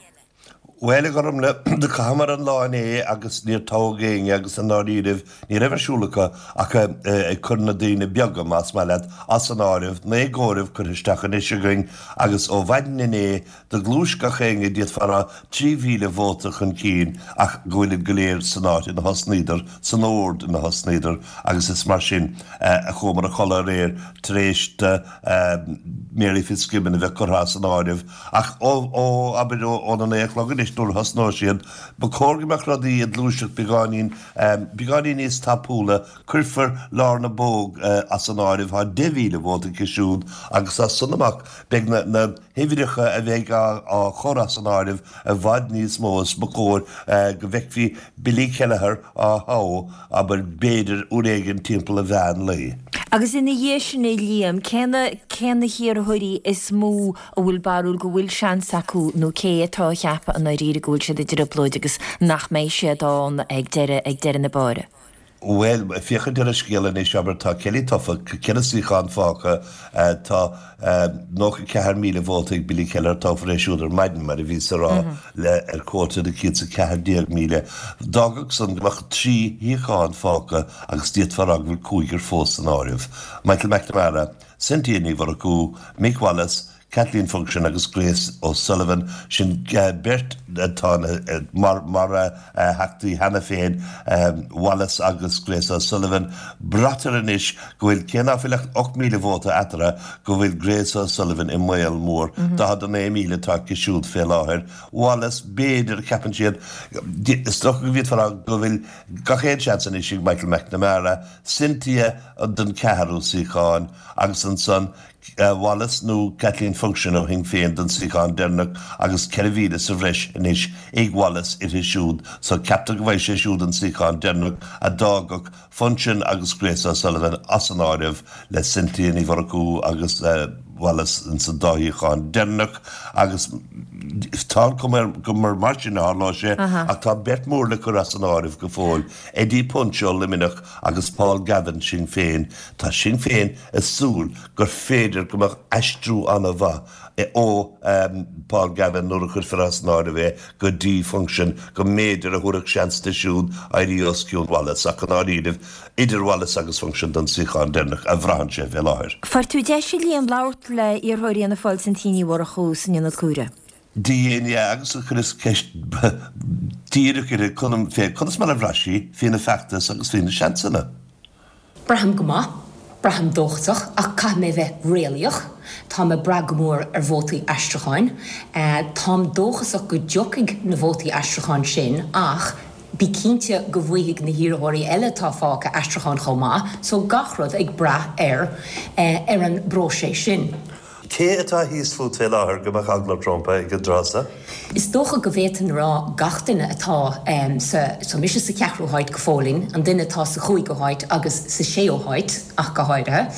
Bhuel, a Ghormlaith, do chaitheamar an lá inné agus níor toghadh éinne agus i ndáiríribh ní raibh ar siúl acu ach ag cur na daoine beaga, más maith leat, as an áireamh. Naoi gcomhaireamh curtha isteach anois againn agus ó mhaidin inné do ghluais gach éinne, d'fhéadfá a rá, 3,000 vóta chun cinn ach go bhfuilid go léir san áit ina thosnaíodar, san ord ina thosnaíodar agus is mar sin a chuamar a chodladh aréir tar éis do Mary Fitzgibbon a bheith curtha as an áireamh. Ach ó, ó, abair ó, óna naoi a chlog anois nuair a thosnóidh siad, ba chóir go mbeadh rudaí ag gluaiseacht beagáinín, beagáinín níos tapúla. Cuirfear Lorna Bogue as an áireamh, tá 10,000 vóta aici siúd agus as san amach beidh na, na huimhreacha a bheidh á, á chur as an áireamh i bhfad níos mó is ba chóir go bhfeicfí Billy Kelleher á thoghadh, abair, b'fhéidir uair éigin timpeall an mheán lae. Agus ina dhiaidh sin a Liam, cé na, cé na hiarrthóirí is mó a bhfuil barúil go bhfuil seans acu nó cé atá a cheapadh i ndáiríre go bhfuil siad i dtrioblóid agus nach mbeidh siad ann ag deireadh, ag deireadh na báire? Bhuel, féachaint ar an scéal anois, abair, tá Kelly tofa, ceithre suíochán fágtha, tá 94,000 vóta ag Billy Kelleher, toghfar é siúd ar maidin, mar a bhíos a rá, le ar cuóta de 114,000. D'fhágfadh san go mbeadh trí shuíochán fágtha agus d'fhéadfá a rá go bhfuil cúigear fós san áireamh, Michael McNamara, Cynthia Ní Mhurchú, Mick Wallace, Kathleen Funchion agus Grace O'Sullivan, sin beirt atá mar mar theachtaí cheana féin, Wallace agus Grace O'Sullivan. Braitear anois go bhfuil, cé ná fuil ach 8,000 vóta eatarthu, go bhfuil Grace O'Sullivan i mbaol mór. 49,000 atá aici siúd fé láthair. Wallace, b'fhéidir, ceapann siad, is dócha go bhféadfá a rá go bhfuil gach aon seans anois ag Michael McNamara, Cynthia don ceathrú suíochán agus ansan. Wallace nó Kathleen Funchion ó Shinn Féin don suíochán deireanach agus 4,000 sa bhreis anois ag Wallace uirthi siúd so ceaptar go bhfaighidh sé siúd an suíochán deireanach a d'fhágfadh Funchion agus Grace O'Sullivan as an áireamh le Cynthia Ní Mhurchú agus Wallace ins an dá shuíochán deireanach agus tá an chuma air go mba mar sin a tharlóidh sé ach tá beirt mhór le cur as an áireamh go fóill, Eddie Punch ó Luimneach agus Paul Gavin Sinn Féin. Tá Sinn Féin ag súil gur féidir go mbeadh aistriú an-mhaith ó Paul Gavin nuair a chuirfear as an áireamh é go dtí Funchion go mb'fhéidir a thabharfadh seans di siúd éirí os cionn Wallace ach i ndáiríribh idir Wallace agus Funchion don suíochán deireanach a bhraitheann sé fé láthair. Fuair tú deis a Liam labhairt le iarrthóirí Fhianna Fáil Cynthia Ní Mhurchú san Ionad Comhairimh. Dhein, yeah, agus chuireas ceist díreach uirthi fé conas mar a bhraith sí faoina feachtas agus faoina seansanna. Braithim go maith. Braithim dóchasach, ach caithfidh mé bheith réalaíoch. Táim ag brath go mór ar vótaí aistriúcháin. Táim dóchasach go dtiocfaidh na vótaí aistriúcháin sin ach bí cinnte go bhfaighidh na hiarrthóirí eile atá fágtha aistriúcháin chomh maith, so gach rud ag brath ar ar an bpróiseas sin. Cé atá thíos fút fé láthair go mbeadh eagla ort rompu ag an dtráth seo? Is dócha go bhféadfainn a rá gach duine atá sa, tá mise sa cheathrú háit go fóillín, an duine atá sa chúigiú háit agus sa séú háit ach go háirithe.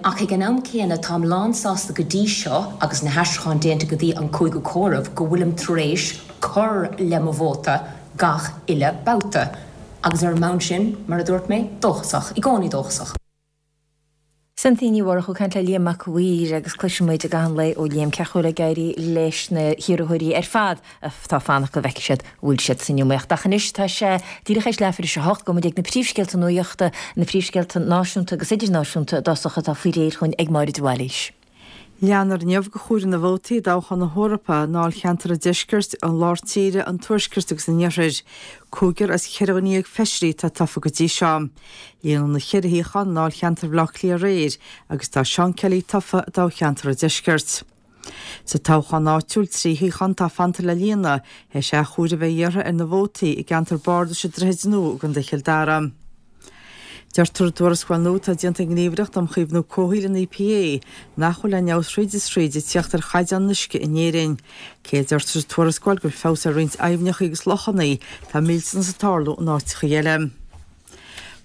Ach ag an am céanna táim lánsásta go dtí seo agus na haistriúcháin déanta go dtí an cúigiú comhaireamh go bhfuilim tar éis cur le mo vóta gach uile babhta. Agus ar an mbonn sin, mar a dúirt mé, dóchasach, i gcónaí dóchasach. Cynthia Ní Mhurchú ag caint le Liam Mac a' Mhaoir agus cloisfidh muid i gcaitheamh an lae ó Liam cén chaoi a bhfuil ag éirí leis na hiarrthóirí ar fad atá ag fanacht go bhfeicfidh siad an bhfuil siad san iomaíocht. Ach anois tá sé díreach théis leathuair tar éis a hocht, gabhfaidh muid ag na príomhscéalta nuachta, na príomhscéalta náisiúnta agus idirnáisiúnta i dtosach atá faoi réir chugainn ag Máire de Bhailís. Leanfar inniu de chomhaireamh na vótaí i dtoghchán na hEorpa i ndáilcheantar an Deiscirt, an Lár Tíre, an Tuaiscirt agus an Iarthair. Cúigear as cheithre dhuine dhéag feisirí atá tofa go dtí seo. Líonadh na ceithre shuíochán i ndáilcheantar Bhaile Átha Cliath aréir agus tá Seán Kelly tofa i dtoghcheantar an Deiscirt. Sa toghchán áitiúil, 3 shuíochán atá fanta le líonadh, théis athchomhaireamh a bheith iarrtha ar na vótaí i gceantar bardais an Droichid Nua i gContae Chill Dara. Deirtear i dtuarascáil nua atá déanta ag an nGníomhaireacht um Chaomhnú Comhshaoil, an EPA, nach bhfuil aon fheabhas thríd is thríd ag tíocht ar chaighdeán an uisce in Éirinn. Cé a deirtear sa tuarascáil go bhfuil feabhas ar roinnt aibhneacha agus lochanna, tá millteanas ag tarlú in áiteacha eile.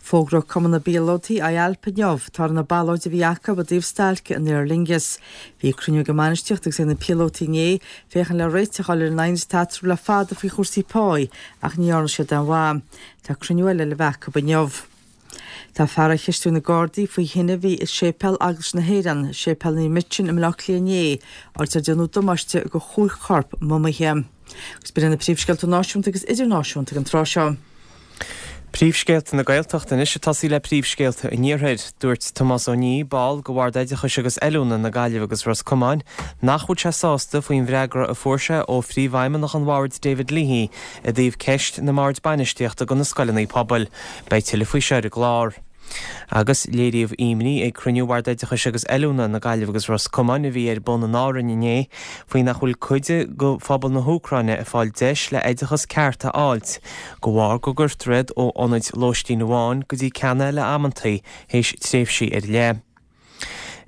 Fógróidh Cumann na bPíolótaí, IALPA, inniu toradh na ballóide a bhí acu i dtaobh stailce in Aer Lingus. Bhí cruinniú ag an mbainistíocht agus ag na píolótaí inné féachaint le réiteach a fháil ar an aighneas atá eatarthu le fada faoi chúrsaí páí ach ní dhearna siad aon mhaith. Tá cruinniú eile le bheith acu inniu. Tá fear á cheistiú ag na Gardaí faoi thine a bhí i séipéal Eaglais na hÉireann, Séipéal Naomh Michan i mBaile Átha Cliath inné, áit ar déanadh damáiste do chúig chorp mumaithe. Agus b'in iad na príomhscéalta náisiúnta agus idirnáisiúnta ag an tráth seo. Príomhscéalta na Gaeltachta anois ag tosaí le príomhscéalta an Iarthair. Dúirt Tomás Ó Nídh, ball de Bhord Oideachais agus Oiliúna na Gaillimhe agus Ros Comáin, nach bhfuil sé sásta faoin bhfreagra a fuair sé ó Phríomhfheidhmeannach an Bhoird David Leahy i dtaobh ceist na mBord Bainistíochta do na scoileanna pobail. Beidh tuilleadh faoi seo ar an gclár. Agus léiríodh imní ag cruinniú Bhord Oideachais agus Oiliúna na Gaillimhe agus Ros Comáin a bhí ar bun in Árainn inné faoi nach bhfuil cuid de phobal na hÚcráine ag fáil deis le oideachas ceart a fháilt de bharr go gcuirtear iad ó ionaid lóistín amháin go dtí ceann eile amantaí théis tréimhsí ar leith.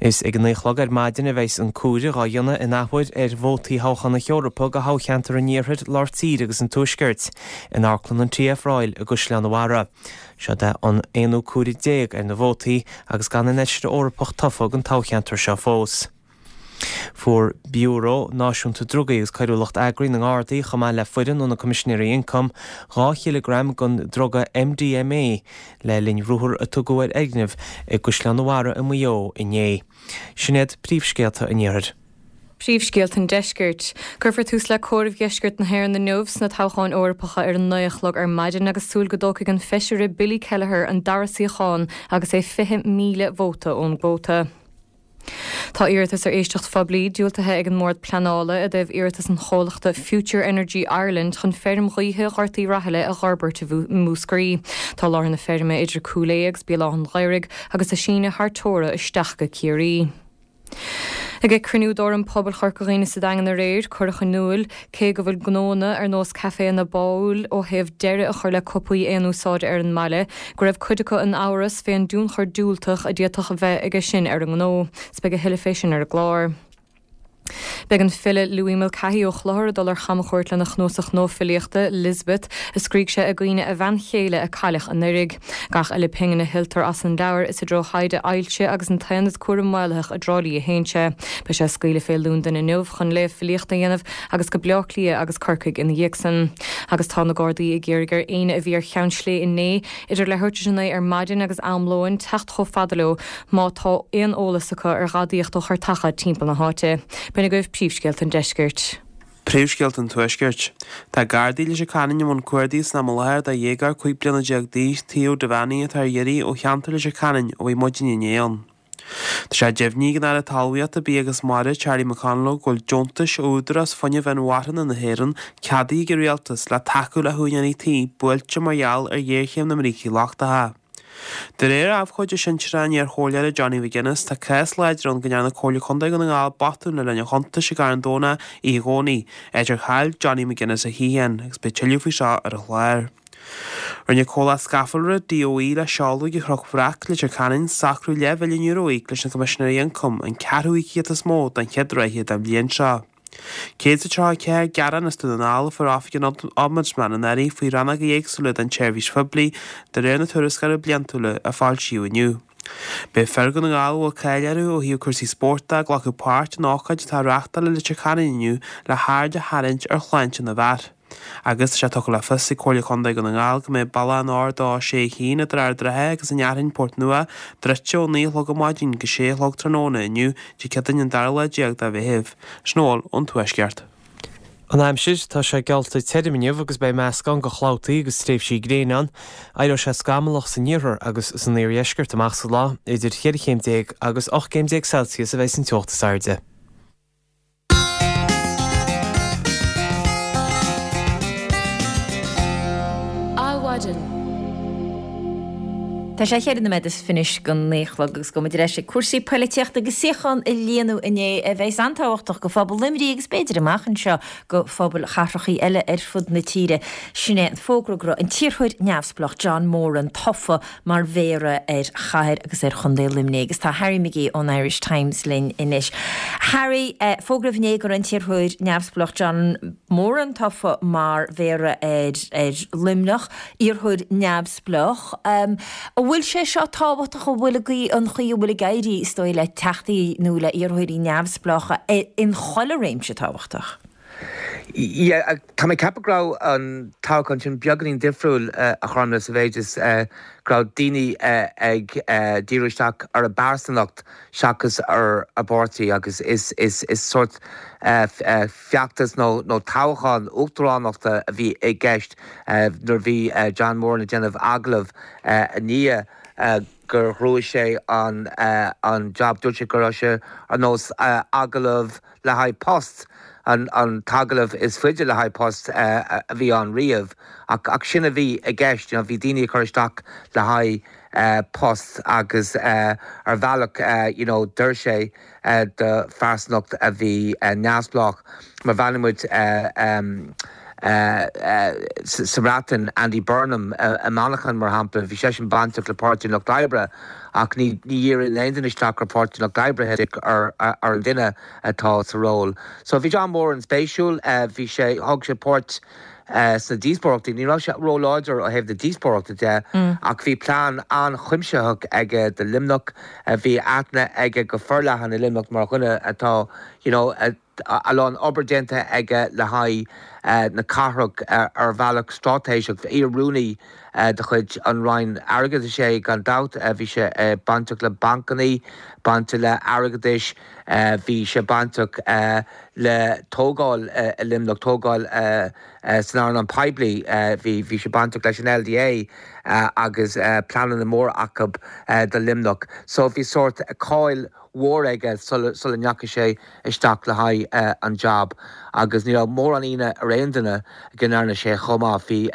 Is ag a 9 a chlog ar maidin a bheidhs an comhaireamh dhá dhéanamh in athuair ar vótaí thoghchán na hEorpa do thoghcheantar an Iarthair, Lár Tíre agus an Tuaiscirt in Amharclann an TF Royal i gCaisleán an Bharraigh. Seod é an aonú comhaireamh déag ar na vótaí agus gan aon fheisire Eorpach tofa don toghcheantar seo fós. Fuair Biúró Náisiúnta Drugaí agus Coiriúlacht Eagraithe na nGardaí, chomh maith le foireann ó na Coimisinéirí Ioncaim, 2 chileagram den druga MDMA le linn ruathar a tugadh ar fhoirgneamh i gCaisleán an Bharraigh i Maigh Eo inné. Sin iad príomhscéalta an Iarthair. Príomhscéalta an Deiscirt. Cuirfear tús le comhaireamh dheisceart na hÉireann inniu sna toghcháin Eorpacha ar a 9 a chlog ar maidin agus súil go dtógfaidh an feisire Billy Kelleher an dara suíochán agus é 20,000 vóta ón gcuóta. Tá iarratas ar éisteacht phoiblí diúltaithe ag an mBord Pleanála i dtaobh iarratas an chomhlachta Future Energy Ireland chun feirm ghaoithe Ghort Uí Rathaille a dh'fhorbairt i Múscraí. Tá láthair na feirme idir Cúil Aodha agus Béal Átha an Ghaorthaidh agus ag síneadh thar teora isteach go Ciarraí. Ag cruinniú d'Fhóram Pobail Chorca Dhuibhne sa Daingean aréir, cuireadh in iúl, cé go bhfuil gnóanna ar nós caiféanna báúil ó thaobh deireadh a chur le cupaí aon úsáide ar an mbaile, go raibh cuid acu in amhras fén dtionchar diúltach a d'fhéadfadh a bheith aige sin ar a ngnó. 'S beidh a thuilleadh fé sin ar an gclár. Beidh an file Louis Mulcahy ó Chlochar ag dul ar chamchuairt lena chnuasach nua filíochta, Lisbeth, a scrígh sé i gcuimhne a bhean chéile a cailleadh anuraidh. Gach uile phingin a thuilltear as an leabhar is i dtreo thaighde ailse agus an tAonad Cúraim Maolaitheach i dTrá Lí a théann sé. Beidh sé ag scaoileadh fé Londain inniu chun léamh filíochta a dhéanamh agus go Bleá Cliath agus Corcaigh ina dhiaidh san. Agus tá na Gardaí ag iarraidh ar éinne a bhí ar Cheann Slé inné idir leathuair tar éis a 9 ar maidin agus am lóin teacht chomh fada leo má tá aon eolas acu ar ghadaíocht ó chartacha timpeall na háite. B'in agaibh príomhscéalta an deiscirt. Príomhscéalta an Tuaiscirt. Tá Gardaí i Leitir Ceanainn i mbun cuardaigh san am i láthair do dhéagóir 15 bliana d'aois, Theo Devaney, atá ar iarraidh ó cheantar Leitir Ceanainn ó bhí maidin inné ann. Tá sé deimhnithe ag an Aire Talmhaíochta, Bia agus Mara, Charlie McConalogue, go bhfuil deontais ó Údarás Fuinnimh Inmharthana na hÉireann ceadaithe ag an Rialtas le tacú le húinéirí tí buailte mar gheall ar ghéarchéim na mbrící lochtacha. De réir abhcóide sinsearach an iar-chomhairleora Johnny McGuinness, tá cás láidir ann go ndearna Comhairle Contae Dhún na nGall botún le linn an chuntais i gCarn Domhnach oíche Dhomhnaigh, áit ar chaill Johnny McGuinness a shuíochán, agus beidh tuilleadh faoi seo ar an chlár. Rinne comhlacht scafallra DOE le seoladh ag an Chnoc Bhreac, Leitir Ceanainn, socrú leathmhilliún euro a íoc leis na Coimisinéirí Ioncaim, an ceathrú íocaíocht is mó don chéad ráithe den bhliain seo. 134 gearán as Dún na nGall a fuair Oifig an Ombudsman anuraidh faoi rannóga éagsúla den tseirbhís phoiblí, de réir na tuarascála bliantúla a foilsíodh inniu. Beidh fir Dhún na nGall a bhfuil cáil orthu ó thaobh cúrsaí spóirt de ag glacadh páirt in ócáid atá á reáchtáil i Leitir Ceanainn inniu le haird a tharraingt ar shláinte na bhfear. Agus tá sé tugtha le fios ag Comhairle Contae Dhún na nGall go mbeidh bealach an R261 idir Ard an Rátha agus an Fhearthainn, Port Nua, druidte ó 9 a chlog ar maidin go 6 a chlog tráthnóna inniu, Dé Céadaoin an dara lá déag de Mheitheamh. Sin a bhfuil ón Tuaisceart. An aimsir, Tá sé geallta tirim inniu agus beidh meascán de chlabhtaí agus tréimhsí gréine ann. Éireoidh sé scamallach san iarthar agus san iardheisceart amach sa lá. Idir cheithre chéim déag agus 18 gcéim Celsius a bheidh san teocht is airde. Adhmhaidin. Tá sé cheithre nóiméad is fiche go naoi a chlog agus gabhfaidh muid ar ais ag cúrsaí poilitíochta agus suíochán a líonadh inné a bheas an-tábhachtach go phobal Luimnigh agus b'fhéidir amach anseo go phobail chathrachaí eile ar fud na tíre. Sin é an fógra go raibh an t-iarrthóir neamhspleách John Moran tofa mar mhéara ar chathair agus ar chontae Luimnigh agus tá Harry McGee ón Irish Times linn anois. Harry, fógraíodh inné go raibh an t-iarrthóir neamhspleách John Moran tofa mar mhéara ar ar Luimneach, iarrthóir neamhspleách. An bhfuil sé seo tábhachtach, an bhfuil an chaoi a bhfuil ag éirí, is dóigh, le teachtaí nó le iarrthóirí neamhspleácha in chuile réimse tábhachtach? Yeah, tá mé ag ceapadh go raibh an toghchán sin beagáinín difriúil, a Ghormfhlaith, sa mhéid is go raibh daoine ag díriú isteach ar a bpearsanacht seachas ar a bpáirtí agus is sórt feachtas nó toghchán uachtaránachta a bhí i gceist nuair a bhí John Moran ag déanamh agallamh i ndiaidh gur ghnóthaigh sé an job. Dúirt sé go raibh sé ar nós agallamh le haghaidh post, an t-agallamh is faide le haghaidh post a bhí ann riamh, ach sin a bhí i gceist, you know, bhí daoine ag cur isteach le haghaidh post agus ar bhealach, you know, d'oir sé do phearsanacht a bhí neamhspleách. Má bhreathnaíonn muid sa mBreatain, Andy Burnham i Manchain, mar shampla, bhí seisean bainteach le Páirtí an Lucht Oibre ach ní dhíríonn aon duine isteach ar Pháirtí an Lucht Oibre, ar an duine atá sa ról. So bhí John Moran spéisiúil, bhí sé, thug sé páirt sna díospóireachtaí, ní raibh sé róláidir ó thaobh na díospóireachta de ach bhí plean an-chuimsitheach aige do Luimneach, bhí aithne aige go forleathan i Luimneach mar dhuine atá, you know, a lán obair déanta aige le haghaidh na cathrach ar bhealach straitéiseach. Iar-rúnaí de chuid an Roinn Airgeadais é gan dabht. Bhí sé bainteach le bancanna, bainteach le airgeadais, bhí sé bainteach le tógáil i Luimneach, tógáil san earnáil poiblí. Bhí sé bainteach leis an LDA agus pleananna móra acu do Luimneach. So bhí sórt cáil mhór aige sula ndeachaigh sé isteach le haghaidh an jab agus ní raibh mórán ionadh ar aon duine go ndearna sé chomh maith. Bhí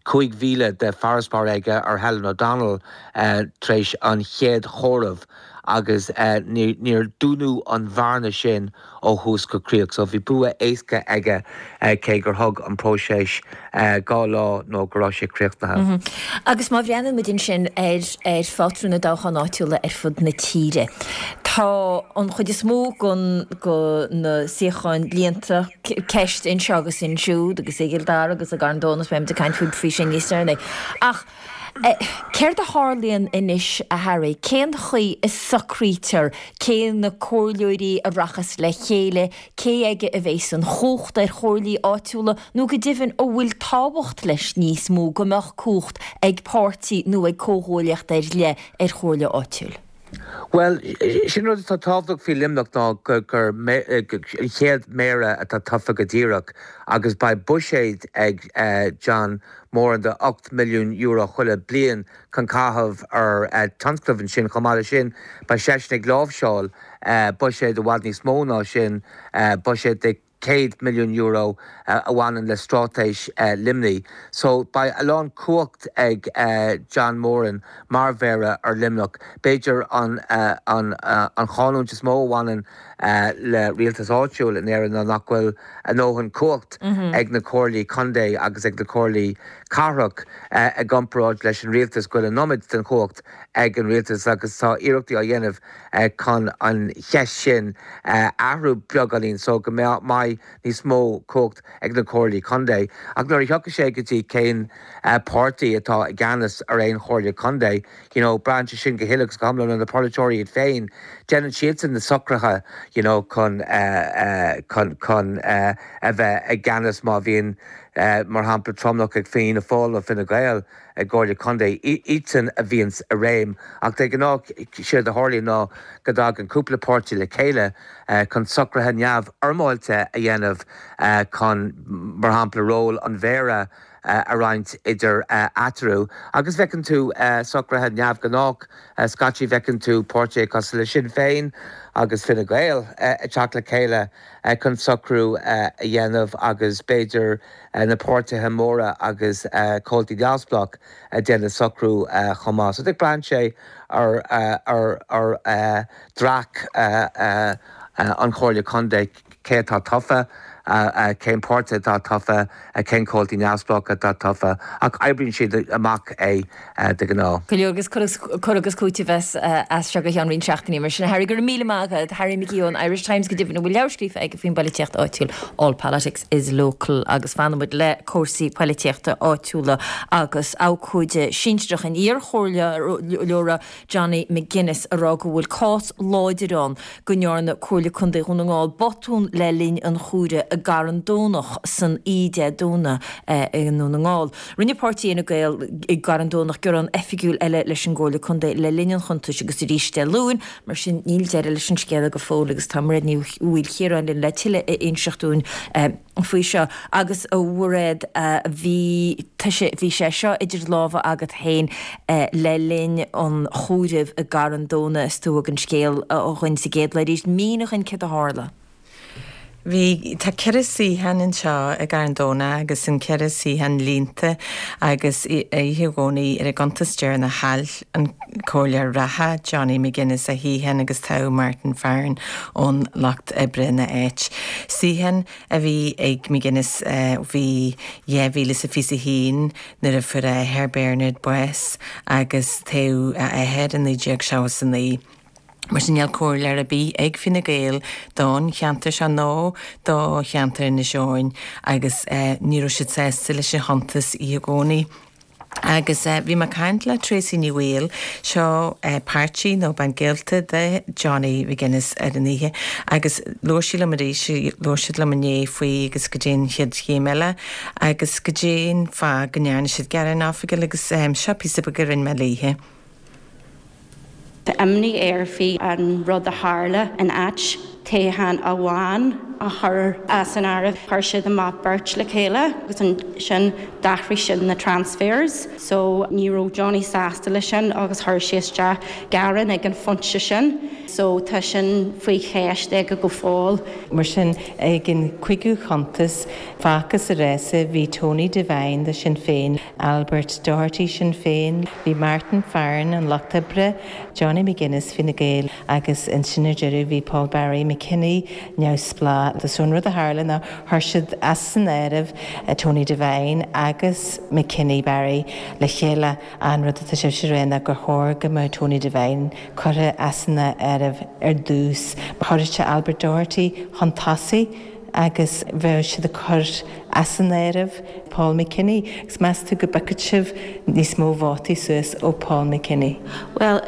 5,000 de farasbarr aige ar Helen O'Donnell tar éis an chéad chomhaireamh. agus níor dúnadh an bhearna sin ó thús go críoch. So bhí bua éasca aige cé gur thug an próiseas 2 lá nó go raibh sé críochnaithe. Agus má bhreathnaíonn muid ansin ar ar phátrún na dtoghchán áitiúla ar fud na tíre, tá an chuid is mó den go na suíocháin líonta, ceist anseo agus ansiúd agus i gCill Dara agus i gCarn Domhnach, beidh muid ag caint faoi sin níos deireanaí. Ach céard a tharlaíonn anois, a Harry? Cén chaoi a socraítear cé na comhairleoirí a rachas le chéile, cé aige a bheas an chumhacht ar chomhairlí áitiúla nó go deimhin an bhfuil tábhacht leis níos mó go mbeadh cumhacht ag páirtí nó ag comhghuaillíocht ar leith ar chomhairle áitiúil? Bhuel, sin rud atá tábhachtach faoi Luimneach ná gur an chéad méara atá tofa go díreach agus beidh buiséad ag John Moran de €8 milliún chuile bliain chun caitheamh ar tionscnaimh ansin. Chomh maith leis sin, beidh seisean ag láimhseáil buiséad i bhfad níos mó ná sin, buiséad de €100 milliún a bhaineann le straitéis Luimnigh. So beidh a lán cumhacht ag John Moran mar mhéara ar Luimneach. B'fhéidir an an chanúint is mó a bhaineann le rialtas áitiúil in Éirinn ná nach bhfuil a ndóthain cumhacht ag na comhairlí contae agus ag na comhairlí cathrach i gcomparáid leis an rialtas, go bhfuil an iomad den chumhacht ag an rialtas agus tá iarrachtaí á dhéanamh chun an cheist sin a athrú beagáinín so go mbeidh níos mó cumhacht ag na comhairlí contae. Ach nuair a thiocfaidh sé go dtí cén páirtí atá i gceannas ar aon chomhairle contae, you know, braitheann sé sin go huile agus go hiomlán ar na polaiteoirí iad féin. Déanann siadsan na socruithe, you know, chun, chun, chun a bheith i gceannas má bhíonn, mar shampla, tromlach ag Fianna Fáil nó Fine Gael. i gcomhairle contae, iadsan a bhíonns i réim. Ach de ghnáth, séard a tharlaíonn ná go dtagann cúpla páirtí le chéile chun socruithe neamhfhoirmeáilte a dhéanamh chun, mar shampla, ról an mhéara a roinnt idir eatarthu. Agus feiceann tú socruithe neamhghnách scaití, feiceann tú páirtithe cosúil le Sinn Féin agus Fine Gael ag teacht le chéile chun socrú a dhéanamh agus b'fhéidir na páirtithe móra agus comhaltaí neamhspleách ag déanamh socrú chomh maith. So braitheann sé ar ar dreach an Chomhairle Contae, cé atá tofa, cén páirtí atá tofa, cén comhaltaí neamhspleácha atá tofa, ach oibríonn siad amach é de ghnáth. Go leor agus cur agus cúiteamh as as seo go ceann roinnt seachtainí mar sin. Harry, go raibh míle maith agat. Harry McKeown ón Irish Times go deimhin a bhfuil leabhar scríofa aige faoin bpoilitíocht áitiúil, All Politics is Local agus fanfaidh muid le cúrsaí poilitíochta áitiúla agus abhcóide sinsearach an iarchomhairleora Johnny McGuinness ag rá go bhfuil cás láidir ann go ndearna Comhairle Contae Dhún na nGall botún le linn an chomhairimh i gCarn Domhnach san oíche Dé Domhnaigh i nDún na nGall. Rinne páirtí Fhine Gael i gCarn Domhnach gearán oifigiúil eile leis an gComhairle Contae le linn an chuntais agus arís Dé Luain, mar sin níl deireadh leis an scéal go fóill agus tá Mairéad Ní Mhaoilchiaráin linn le tuilleadh a inseacht dúinn faoi seo. Agus a Mhairéad, bhí bhí sé seo idir lámha agat féin le linn an chomhairimh i gCarn Domhnach is tú a thug an scéal dhuinn sa gcéad lá arís. Mínigh dhuinn céard a tharla. Bhí, tá ceithre suíochán anseo i gCarn Domhnach agus an ceithre suíochán líonta agus oíche Dhomhnaigh ar an gcuntas deireanach chaill an comhairleoir reatha Johnny McGuinness a shuíochán agus toghadh Martin Farren ón Lucht Oibre ina áit. Suíochán a bhí ag McGuinness bhí 2021 nuair a fuair a athair Bernard bás agus toghadh a athair i 1979. Mar sin níl comhairleoir ar bith ag Fine Gael don cheantar seo nó do cheantar Inis Eoghain agus ní raibh siad sásta leis an chuntas oíche Dhomhnaigh. Agus bhí mé ag caint le Tracey Ní Bhaoill, seo páirtí nó bean gaolta de Johnny McGuinness ar an oíche agus labhair sí liom arís, labhair siad liom inné faoi agus goidé an chéad chéim eile agus goidé an fáth go ndearna siad gearán oifigiúil agus seo píosa beag a rinne mé léithe. Tá imní air faoi an rud a tharla in áit. toghchán amháin a chur as an áireamh. Chuir siad amach beirt le chéile agus ansin d'athraigh siad na transfers so ní raibh Johnny sásta leis sin agus chuir sé isteach gearán ag an phointe sin so tá sin faoi cheist aige go fóill. Mar sin, ag an chuigiú chuntas, fágtha sa rása bhí Tony Devine do Sinn Féin, Albert Doherty, Sinn Féin, bhí Martin Farren, an Lucht Oibre, Johnny McGuinness, Fine Gael, agus ansin ar deireadh bhí Paul Barry McKinney, Neamhspleách. So an rud a tharla ná chuir siad as an áireamh Tony Devine agus McKinney Barry le chéile. An rud atá sibhse a rá ná gur chóir go mbeadh Tony Devine curtha as an áireamh ar dtús. Chuirfeadh sé Albert Doherty chun tosaigh agus bheadh siad ag cur as an áireamh Paul McKinney. Agus meas tú go bpiocfadh sibh níos mó vótaí suas ó Paul McKinney? Bhuel,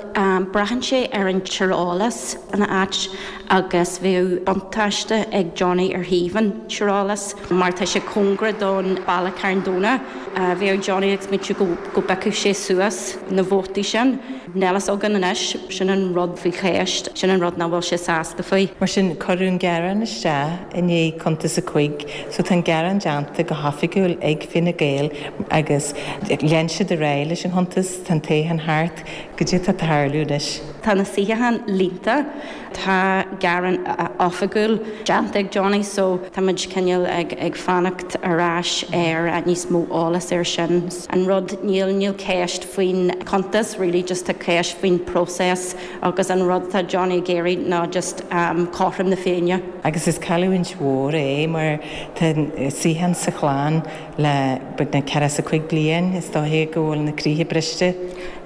braitheann sé ar an tíreolas ina áit agus bheadh buntáiste ag Johnny ar thaobh an tíreolas mar tá sé cóngarach don baile Carn Domhnach. Bheadh Johnny ag smaointiú go bpiocfadh sé suas na vótaí sin. Níl fhios againn anois, sin an rud faoi cheist, sin an rud nach bhfuil sé sásta faoi. Mar sin, cuireadh an gearán isteach i ndiaidh cuntas a cuig, so tá an gearán déanta go hoifigiúil ag Fine Gael agus lean siad ar aghaidh leis an chuntas, tá an toghchán thart, goidé atá ag tarlú anois. Tá na suíocháin líonta, tá gearán oifigiúil déanta ag Johnny so tá muid cineál ag ag fanacht ar ais ar níos mó eolas ar sin. An rud, níl, níl ceist faoin chuntas really just tá ceist faoin próiseas agus an rud atá Johnny ag iarraidh ná just cothrom na Féinne. Agus is cailliúint mhór é mar tá suíochán sa chlann le beagnach 45 bliain, is dóiche go bhfuil na croíthe briste.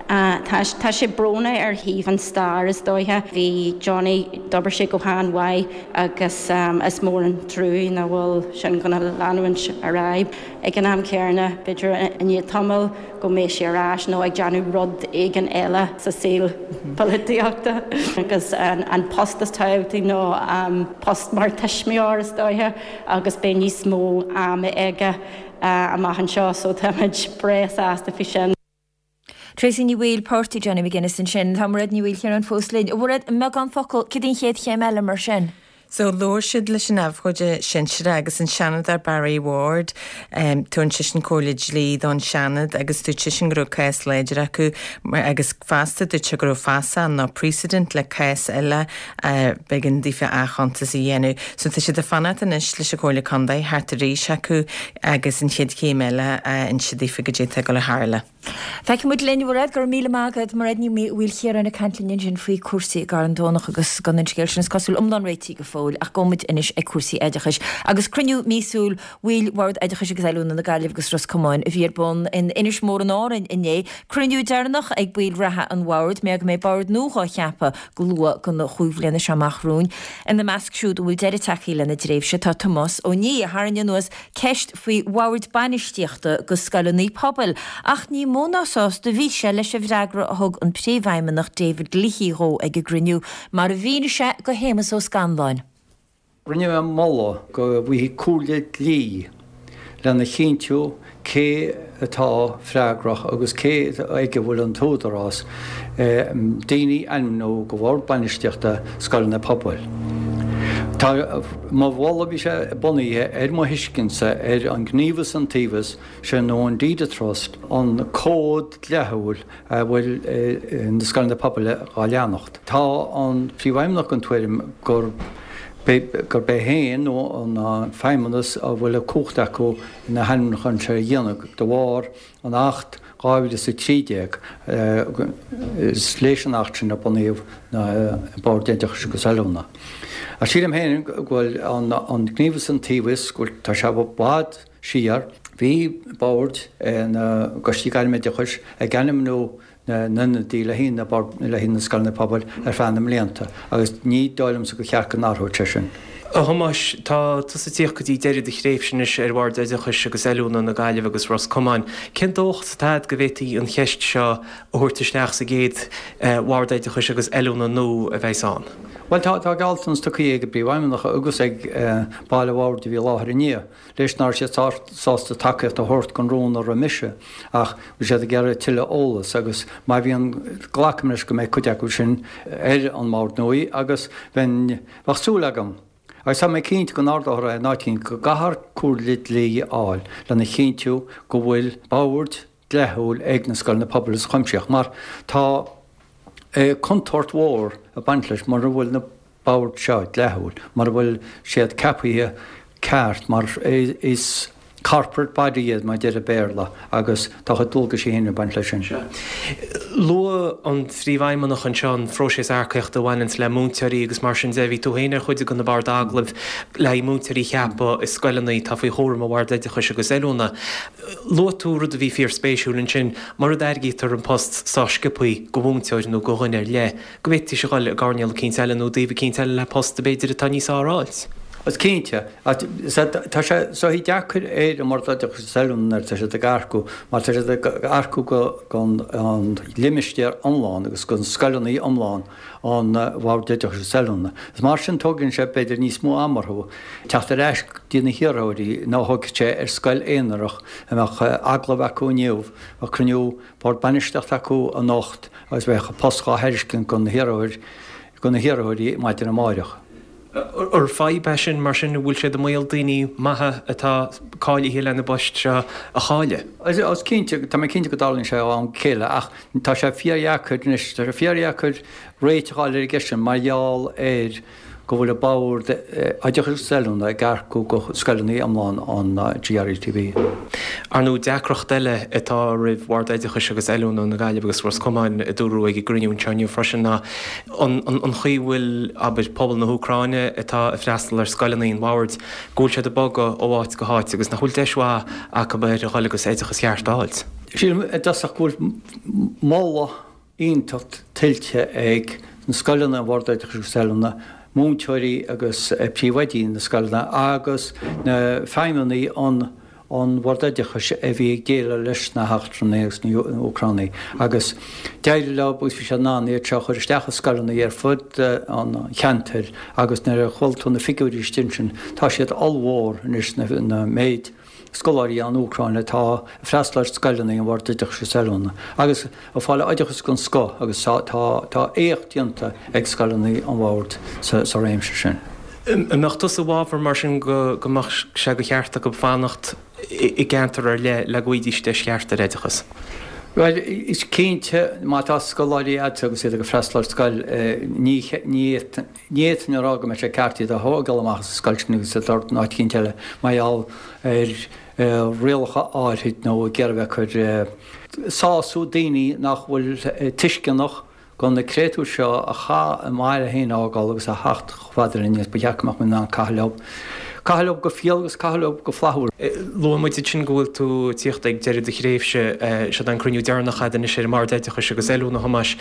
Tá, tá sé brónach ar thaobh an stair is dóiche. Bhí Johnny, d'obair sé go han-mhaith agus is mór an truaí nach bhfuil sin gonna leanúint ar aghaidh. Ag an am céanna, b'fhéidir i ndiaidh tamaill go mbeidh sé ar ais nó ag déanamh rud éigin eile sa saol polaitíochta. Agus an post is tábhachtaí ná post mar tuismitheoir is dóiche agus beidh níos mó ama aige amach anseo so táimid breá sásta faoi sin. Tracey Ní Bhaoill, páirtí Johnny McGuinness ansin. Tá Mairéad Ní Mhaoilchiaráin fós linn. A Mhairéad, i mbeagán focal, cad í an chéad chéim eile mar sin? So, labhair siad leis an abhcóide sinsearach agus an Seanadóir Barry Ward. Tugann seisean comhairle dlí don Seanad agus dúirt seisean go raibh cás láidir acu agus fosta dúirt sé go raibh fasach nó precedent le cás eile b'éigean daofa athchuntas a dhéanamh. So tá siad ag fanacht anois leis an Chomhairle Contae theacht arís chucu agus an chéad chéim eile a inse daofa goidé atá ag dul a tharla. Feicfidh muid linn, a Mhairéad, go raibh míle maith agat. Mairéad Ní Mhaoilchiaráin ag caint linn ansin faoi cúrsaí i gCarn Domhnach agus gan an scéal sin is cosúil iomlán réitithe go fóill ach gabhfaidh muid anois ag cúrsaí oideachais agus cruinniú míosúil bhaill Bhord Oideachais agus Oiliúna na Gaillimhe agus Ros Comáin a bhí ar bun in Inis Mór in Árainn inné. Cruinniú deireanach ag baill reatha an bhoird, mar go mbeidh bord nua dhá cheapadh go luath don chúig bhliana seo amach romhainn. Ina measc siúd a bhfuil deireadh tagtha lena dtréimhse tá Tomás Ó Niadh, a tharraing anuas ceist faoi bhoird bainistíochta go scoileanna pobail ach ní mó ná sásta a bhí sé leis an bhfreagra a thug an Príomhfheidhmeannach David Leahy dhó ag an gcruinniú, mar a mhínigh sé go Shéamus Ó Scanláin. Rinne mé moladh go bhfaighfí comhairle dlí lena chinntiú cé atá freagrach agus cé ag a bhfuil an t-údarás daoine a ainmniú go bhord bainistíochta scoileanna pobail. Tá mo mholadh, bhí sé bunaithe ar mo thuiscintse ar an Gníomhas Iontaobhais, sé nó an Deed of Trust, an cód dleathúil a bhfuil na scoileanna pobail dhá leanacht. Tá an Príomhfheidhmeannach den tuairim gurb gurb é féin nó an Feidhmeannas a bhfuil an cumhacht acu na hainmniúcháin seo a dhéanamh de bharr an Acht 2013. Is leis an Acht sin a bunaíodh na Boird Oideachais agus Oiliúna. Ach sílim féin go bhfuil an Gníomhas Iontaobhais, go bhfuil, tá sé i bhfad siar. Bhí boird na gCoistí Gairmoideachais ag ainmniú na n-ionadaí le haghaidh na le haghaidh na scoileanna pobail ar feadh na mblianta agus ní dóigh liomsa gur cheart go n-athródh sé sin. A Thomáis, tá tusa ag tíocht go dtí deireadh do thréimhse anois ar Bhord Oideachais agus Oiliúna na Gaillimhe agus Ros Comáin. Cén dóchas atá agat go bhféadfaí an cheist seo a thabhairt isteach sa gcéad Bhord Oideachais agus Oiliúna nua a bheas ann? Bhuel, tá gealltanas tugtha ag an bPríomhfheidhmeannach agus ag baill an bhoird a bhí i láthair inné leis ná raibh siad sásta tacaíocht a thabhairt don rún a rith mise ach bhí siad ag iarraidh tuilleadh eolas agus má bhíonn, glacaim leis go mbeidh cuid acu sin ar an mbord nua agus bheinn, bheadh súil agam agus tá mé cinnte go n-ardófar é in áit éigin go gcaithfear comhairle dlí a fháil lena chinntiú go bhfuil bord dleathúil ag na scoileanna pobail is cuimsitheach mar tá contúirt mhór ag baint leis mura bhfuil na boird seo dleathúil, mura bhfuil siad ceapaithe ceart mar is corporate body iad mar a deir an Béarla agus tá a chuid dualgaisí féin ag baint leis sin. Luaigh an Phríomhfheidhmeannach anseo an phróiseas earcaíochta a bhaineanns le múinteoirí agus mar sin de. Bhí tú féin ar chuid de na boird agallaimh le haghaidh múinteoirí a cheapadh i scoileanna atá faoi chúram an Bhoird Oideachais agus Oiliúna. Luaigh tú rud a bhí fíorspéisiúil ansin, mura dtairgítear an post sách sciobthaí go mhúinteoir nó go dhuine ar leith, go bhféadfaidís a dhul i gcoirnéal eicínt eile nó i dtaobh eicínt eile le post b'fhéidir atá níos fearr a fháilt. Is cinnte. Tá sé sách deacair ar an mBord Oideachais is Oiliúna nuair atá siad ag earcú mar tá siad ag earcú don limistéar iomlán agus don scoileanna iomlán an Bhoird Oideachais is Oiliúna. Is mar sin tógann sé b'fhéidir níos mó ama orthu teacht ar ais go dtí na hiarrthóirí ná a thógfadh sé ar scoil aonarach a mbeadh agallamh acu inniu, bheadh cruinniú Bord Bainistíochta acu anocht agus bheadh an post dhá thairiscint do na hiarrthóirí do na hiarrthóirí maidin amáireach. Ar fadhb é sin, mar sin, an bhfuil sé i mbaol daoine maithe atá cáilithe lena bpoist seo a chailleadh? Is cinnte, tá mé cinnte go dtarlaíonn sé ó am go chéile ach tá sé fíordheacair anois, tá sé fíordheacair réiteach a fháil ar an gceist sin mar gheall ar go bhfuil an Bord Oideachais agus Oiliúna ag earcú go scoileanna iomlán an GRETB. Ar ndóigh, deacracht eile atá roimh Bhord Oideachais agus Oiliúna na Gaillimhe agus Ros Comáin, a dúradh ag an gcruinniú anseo inniu freisin, ná an chaoi a bhfuil, abair, pobal na hÚcráine atá ag freastal ar scoileanna an Bhoird, go bhfuil siad ag bogadh ó áit go háit agus nach bhfuil deis mhaith acu ar a dhul agus oideachas cheart a fháilt. Sílim i dtosach go bhfuil moladh iontach tuillte ag na scoileanna, an Bhord Oideachais agus Oiliúna, múinteoirí agus príomhoidí na scoileanna agus na feidhmeannaigh an an Bhord Oideachais a bhí ag déileáil leis na heachtrannaigh agus na hÚcránaigh agus d'éirigh leo agus bhí siad in ann iad seo a chur isteach i scoileanna ar fud an cheantair agus nuair a chuala tú na figiúirí istigh ansin tá siad ollmhór anois na méid scoláirí ón Úcráin atá ag freastal ar scoileanna an Bhoird Oideachais agus Oiliúna agus ag fáil oideachas den scoth agus tá éacht déanta ag scoileanna an Bhoird sa réimse sin. An mbeadh tusa i bhfabhar mar sin go mbeadh sé de cheart acu fanacht i gceantar ar leith le go bhfaighidís deis cheart ar oideachas? Bhuel, is cinnte má tá scoláirí agat agus iad ag freastal ar scoil ní Ní fhéadfainn a rá go mbeadh sé ceart iad a thógáil amach as an scoil sin agus iad a thabhairt in áit eicínt eile mar gheall ar rialacha áirthid nó ag iarraidh a bheith ag cur sású daoine nach bhfuil tuisceanach go na créatúir seo a chaith a mbaile féin a fhágáil agus a theacht chomh fada linn agus ba cheart go mbeadh muid in ann caitheamh leo. Caitheamh leo go fial agus caitheamh leo go flaithiúil. Luaigh muid ansin go bhfuil tú ag tíocht ag deireadh do thréimhse. Seod é an cruinniú deireanach agat anois ar an mBord Oideachais agus Oiliúna, a Thomáis.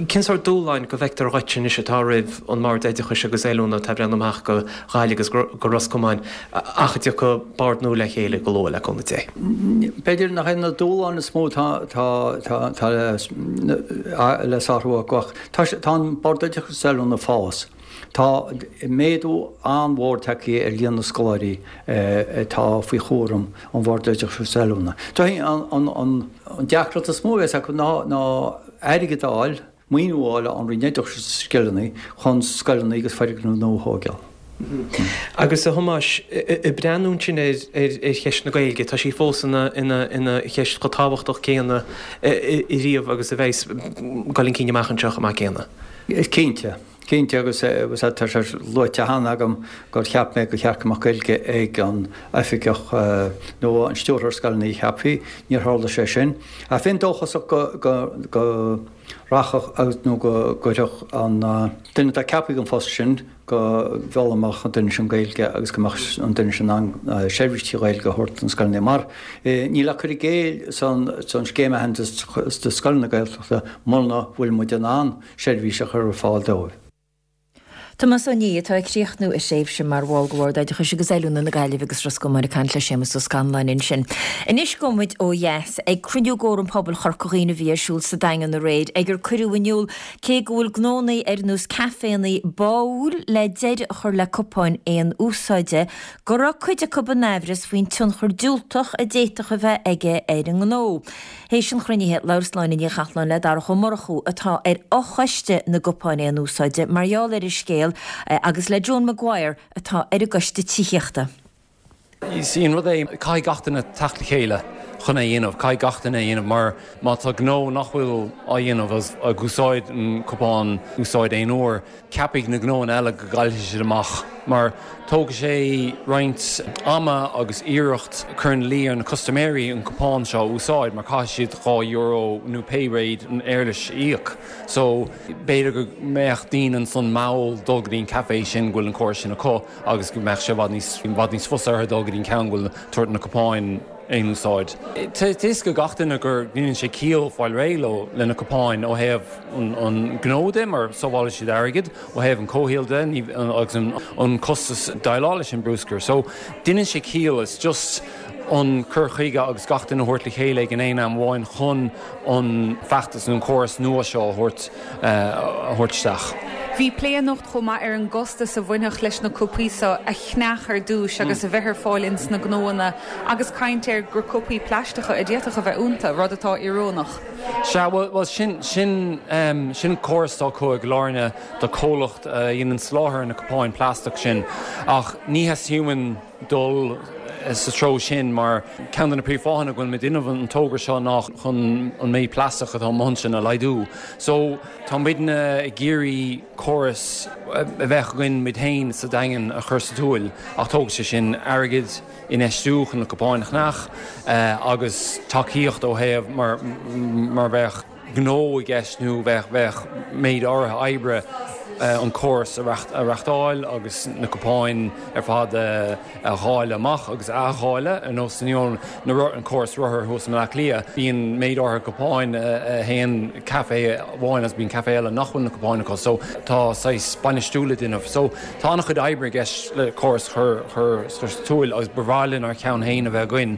Cén sórt dúshláin go bhfeictear dhuit anois atá roimh an mBord Oideachais agus Oiliúna atá ag breathnú amach go Gaillimh agus go Ros Comáin ach a dtiocfaidh bord nua le chéile go luath, le cúnamh Dé? B'fhéidir nach é na dúshláin is mó atá le sárú acu ach tá an Bord Oideachais agus Oiliúna ag fás. Tá méadú an-mhór tagtha ar líon na scoláirí atá faoi chúram an Bhoird Oideachais agus Oiliúna. An deacracht is mó a bheas acu ná airgead a fháil, maoiniú a fháil ón Roinn Oideachais agus Scileanna chun scoileanna agus foirgnimh nua a thógáil. Agus a Thomáis, ag breathnú ansin ar cheist na Gaeilge, tá sí fós ina cheist chomh tábhachtach céanna riamh agus a bheas ag dul chun cinn amach anseo chomh maith céanna. Cinnte. Cinnte, agus tá sé luaite cheana agam gur cheap mé gur cheart go mbeadh Gaeilge ag an oifigeach nó an stiúrthóir scoileanna a cheapfaí. Níor tharla sé sin. Ach bheinn dóchasach go rachadh nó go gcuirfeadh an duine atá ceaptha don phost sin, go bhfoghlaimeodh an duine sin Gaeilge agus go mbeadh an duine sin in ann seirbhís trí Ghaeilge a thabhairt do na scoileanna. Mar níl ach cur i gcéill san scéim aitheantais do scoileanna Gaeltachta muna bhfuil muid in ann seirbhís a chur ar fáil dóibh. Tomás Ó Niadh, atá ag críochnú a thréimhse mar bhall de Bhord Oideachais agus Oiliúna na Gaillimhe agus Ros Comáin ag caint le Séamus Ó Scanláin ansin. Anois gabhfaidh muid ó dheas ag cruinniú d'Fhóram Pobail Chorca Dhuibhne a bhí ar siúl sa Daingean aréir ag ar cuireadh in iúl cé go bhfuil gnónnaí ar nós caiféannaí báúil le deireadh a chur le cupáin aon úsáide, go raibh cuid acu in aimhreas faoin tionchar diúltach a d'fhéadfadh a bheith aige ar a ngnó. Théis an chruinnithe, labhair Sláine Ní Chathalláin le Darach Ó Murchú, atá ar fhochoiste na gcupán aon úsáide, mar gheall ar an scéal, agus le Joan Maguire, atá ar an gcoiste tithíochta. Is í an rud é, caithfidh gach duine teacht le chéile chun é a dhéanamh, caithfidh gach duine é a dhéanamh mar má tá gnó nach bhfuil á dhéanamh agus ag úsáid an cupán úsáid aon uair, Ceapfaidh na gnóanna eile go gcaillfidh siad amach mar tógfaidh sé roinnt ama agus iarracht cur ina luí ar na custaiméirí an cupán seo a úsáid mar caithfidh siad €2 nó pé méid an éarlais a íoc. So b'fhéidir go mbeadh daoine ansan mall dul go dtí an café sin go bhfuil an córas sin acu agus go mbeadh sé i bhfad níos i bhfad níos fusa orthu dul go dtí an ceann go bhfuil tabhairt na cupáin aon úsáid. Tá a fhios ag gach duine go ndéanann sé ciall fáil réidh leo le na cupáin ó thaobh an gnó de mar sábhálfaidh siad airgead, ó thaobh an comhshaoil de agus an costas déileáil leis an bruscar. So déanann sé ciall, it's just an cur chuige agus gach duine a thabhairt le chéile ag an aon am amháin chun an feachtas nó an córas nua seo a thabhairt a thabhairt isteach. Bhí plé anocht chomh maith ar an gcostas a bhainfeadh leis na cupaí seo a cheannach ar dtúis agus a bheith ar fáil ins na gnóanna agus caint ar gur cupaí plaisteacha a d'fhéadfadh a bheith iontu, rud atá íorónach. Sea, bhuel, sin, sin, sin córas atá acu i gCill Airne do comhlacht a dhéanann soláthar na cupáin plaisteach sin ach ní theastaíonn uainn dul sa treo sin mar ceann de na príomhfháthanna go bhfuil muid ag déanamh an togra seo ná chun an méid plaisteach atá amuigh ansin a laghdú. So tá muidne ag iarraidh córas a bheadh againn muid féin sa Daingean a chur sa tsiúl ach tógfaidh sé sin airgead, infheistiú chun na cupáin a cheannach agus tacaíocht ó thaobh mar mar bheadh gnó i gceist nó bheadh bheadh méid áirithe oibre an córas a reachtáil agus na cupáin ar fad a dháileadh amach agus a athdháileadh ar nós na an córas rothar thuas i mBleá Cliath. Bíonn méid áirithe cupáin a théann café amháin agus bíonn café eile nach bhfuil na cupáin acu so tá saghas bainistiú le déanamh so tá an-chuid oibre i gceist le córas a chur sa tsiúl agus ba bhreá linn ár cheann féin a bheith againn,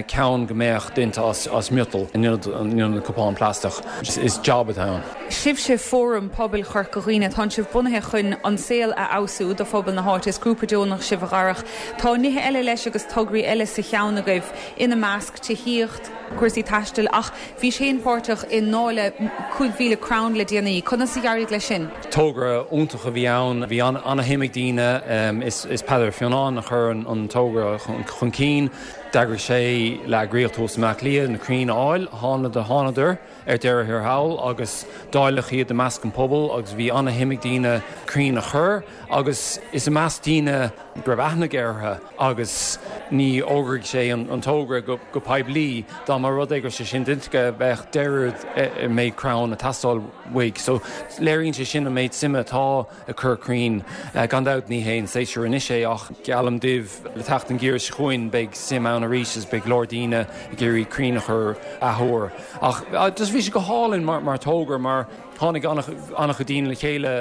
ceann go mbeadh déanta as miotal in ionad na cupán plaisteach. Is job atá ann. Sibhse Fóram Pobail Chorca Dhuibhne, tánn sibh bunaithe chun an saol a fheabhsú do phobal na háite. Is grúpa deonach sibh a Dharach. Tá nithe eile leis agus tograí eile sa cheann agaibh, ina measc, tithíocht, cúrsaí taistil ach bhís féin páirteach i ndáileadh 5,000 crann le déanaí. Conas a d'éirigh leis sin? Togra iontach a bhí ann. Bhí an-shuim ag daoine. Is Peadar Fionán a chuir an togra chun cinn. D'eagraigh sé le eagraíocht thuas i mBleá Cliath na crainn a fháil. Thánadar ar deireadh thiar thall agus dáileadh iad i measc an pobail agus bhí an-shuim ag daoine crainn a chur agus is i measc daoine go raibh aithne aige orthu agus ní fhógraigh sé an togra go poiblí. Dá mba rud é go raibh sé sin déanta aige bheadh deireadh an méid crann ag teastáil uaidh. So léiríonn sé sin an méid suime atá ag cur crainn. Gan dabht ní hé an séasúr anois é ach geallaim daoibh le teacht an gheimhridh seo chugainn beidh suim ann arís agus beidh go leor daoine ag iarraidh crainn a chur athuair. Ach just bhí sé go hálainn mar togra mar Tháinig an-chuid daoine le chéile,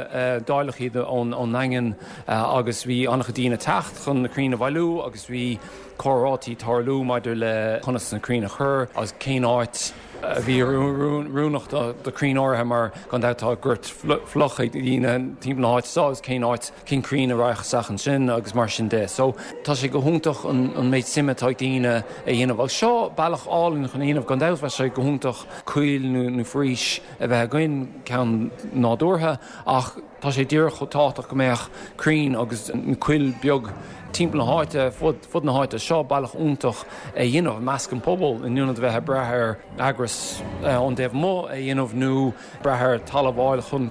dáileadh iad ón nDaingean agus bhí an-chuid daoine ag teacht chun na crainn a bhailiú agus bhí comhráití ag tarlú maidir le conas na crainn a chur agus cén áit a bhí oiriúnach do chrainn áirithe mar gan dabht tá gort fliuch ag daoine timpeall na háite seo agus cén áit, cén crainn a raghadh isteach ansin agus mar sin de. So tá sé go hiontach an méid suime atá ag daoine a dhéanamh agus seo bealach álainn chun a dhéanamh. Gan dabht bheadh sé go hiontach coill nó foraois a bheith againn, ceann nádúrtha, ach tá sé díreach chomh tábhachtach go mbeadh crainn agus coill beag timpeall na háite, fud na háite. Seo bealach iontach é a dhéanamh i measc an pobail in ionad a bheith ag brath ar eagras ón dtaobh amuigh a dhéanamh nó brath ar talamh a fháil chun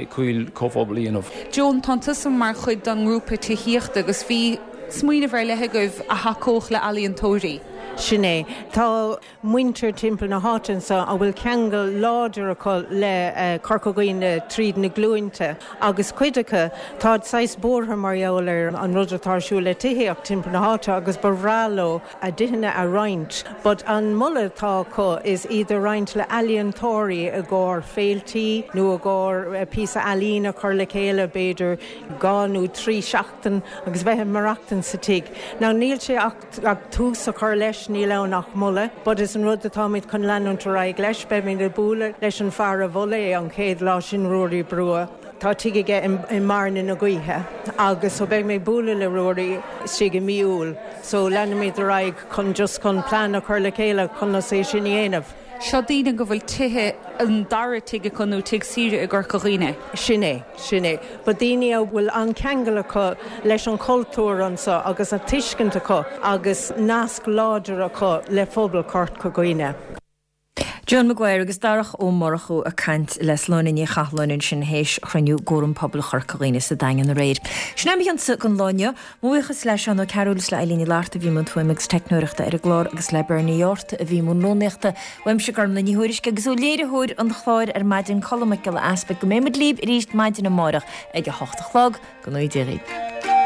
coill comhphobail a dhéanamh. Joan, tánn tusa mar chuid den ngrúpa tithíochta agus bhí smaoineamh ar leith agaibh a thacódh le ealaíontóirí. Sin é. Tá muintir timpeall na háite anso a bhfuil ceangal láidir acu le Corca Dhuibhne tríd na glúinte agus cuid acu, táid saghas buartha mar gheall ar an rud atá ar siúl le tithíocht timpeall na háite agus ba bhreá leo a dtithe a roinnt. But an moladh atá acu is iad a roinnt le ealaíontóirí i gcomhair féiltí nó i gcomhair píosa ealaíne a chur le chéile b'fhéidir 2 nó 3 seachtain agus bheith ag maireachtaint sa tigh. Now níl sé ach ach tús a chur leis, níl ann ach moladh, but is an rud atáimid chun leanúint ar aghaidh leis. Beimid ag bualadh leis an fear a mhol é an chéad lá sin, Ruairí Brugha. Tá tigh aige i mBearna na Gaoithe agus so beidh mé ag bualadh le Ruairí istigh i mí Iúil. So leanfaimid ar aghaidh chun just chun plean a chur le chéile conas é sin a dhéanamh. Seo daoine go bhfuil tithe, an dara tigh acu nó tigh saoire i gCorca Dhuibhne. Sin é, sin é. But daoine a bhfuil an-cheangal acu leis an chultúr anso agus an tuiscint acu agus nasc láidir acu le phobal Chorca Dhuibhne. Joan Maguire agus Darach Ó Murchú ag caint le Sláine Ní Chathalláin ansin théis chruinniú gCóram Pobail Chorca Dhuibhne sa Daingean aréir. Sin é mo chionsa don lá inniu. Mo bhuíochas le Seán Ó Cearúil is le Eileen Ní Fhlatharta a bhí i mbun fuaime agus teicneoireachta ar an gclár agus le Bernie Yorta a bhí i mbun rúnaíochta. Uaimse Gormlaith Ní Thuairisg agus ó léiritheoir an chláir ar maidin Colm Mac Giolla Easpaig go mbeidh muid libh arís maidin amárach ag a hocht a chlog. Go ngnóthaí Dia dhaoibh.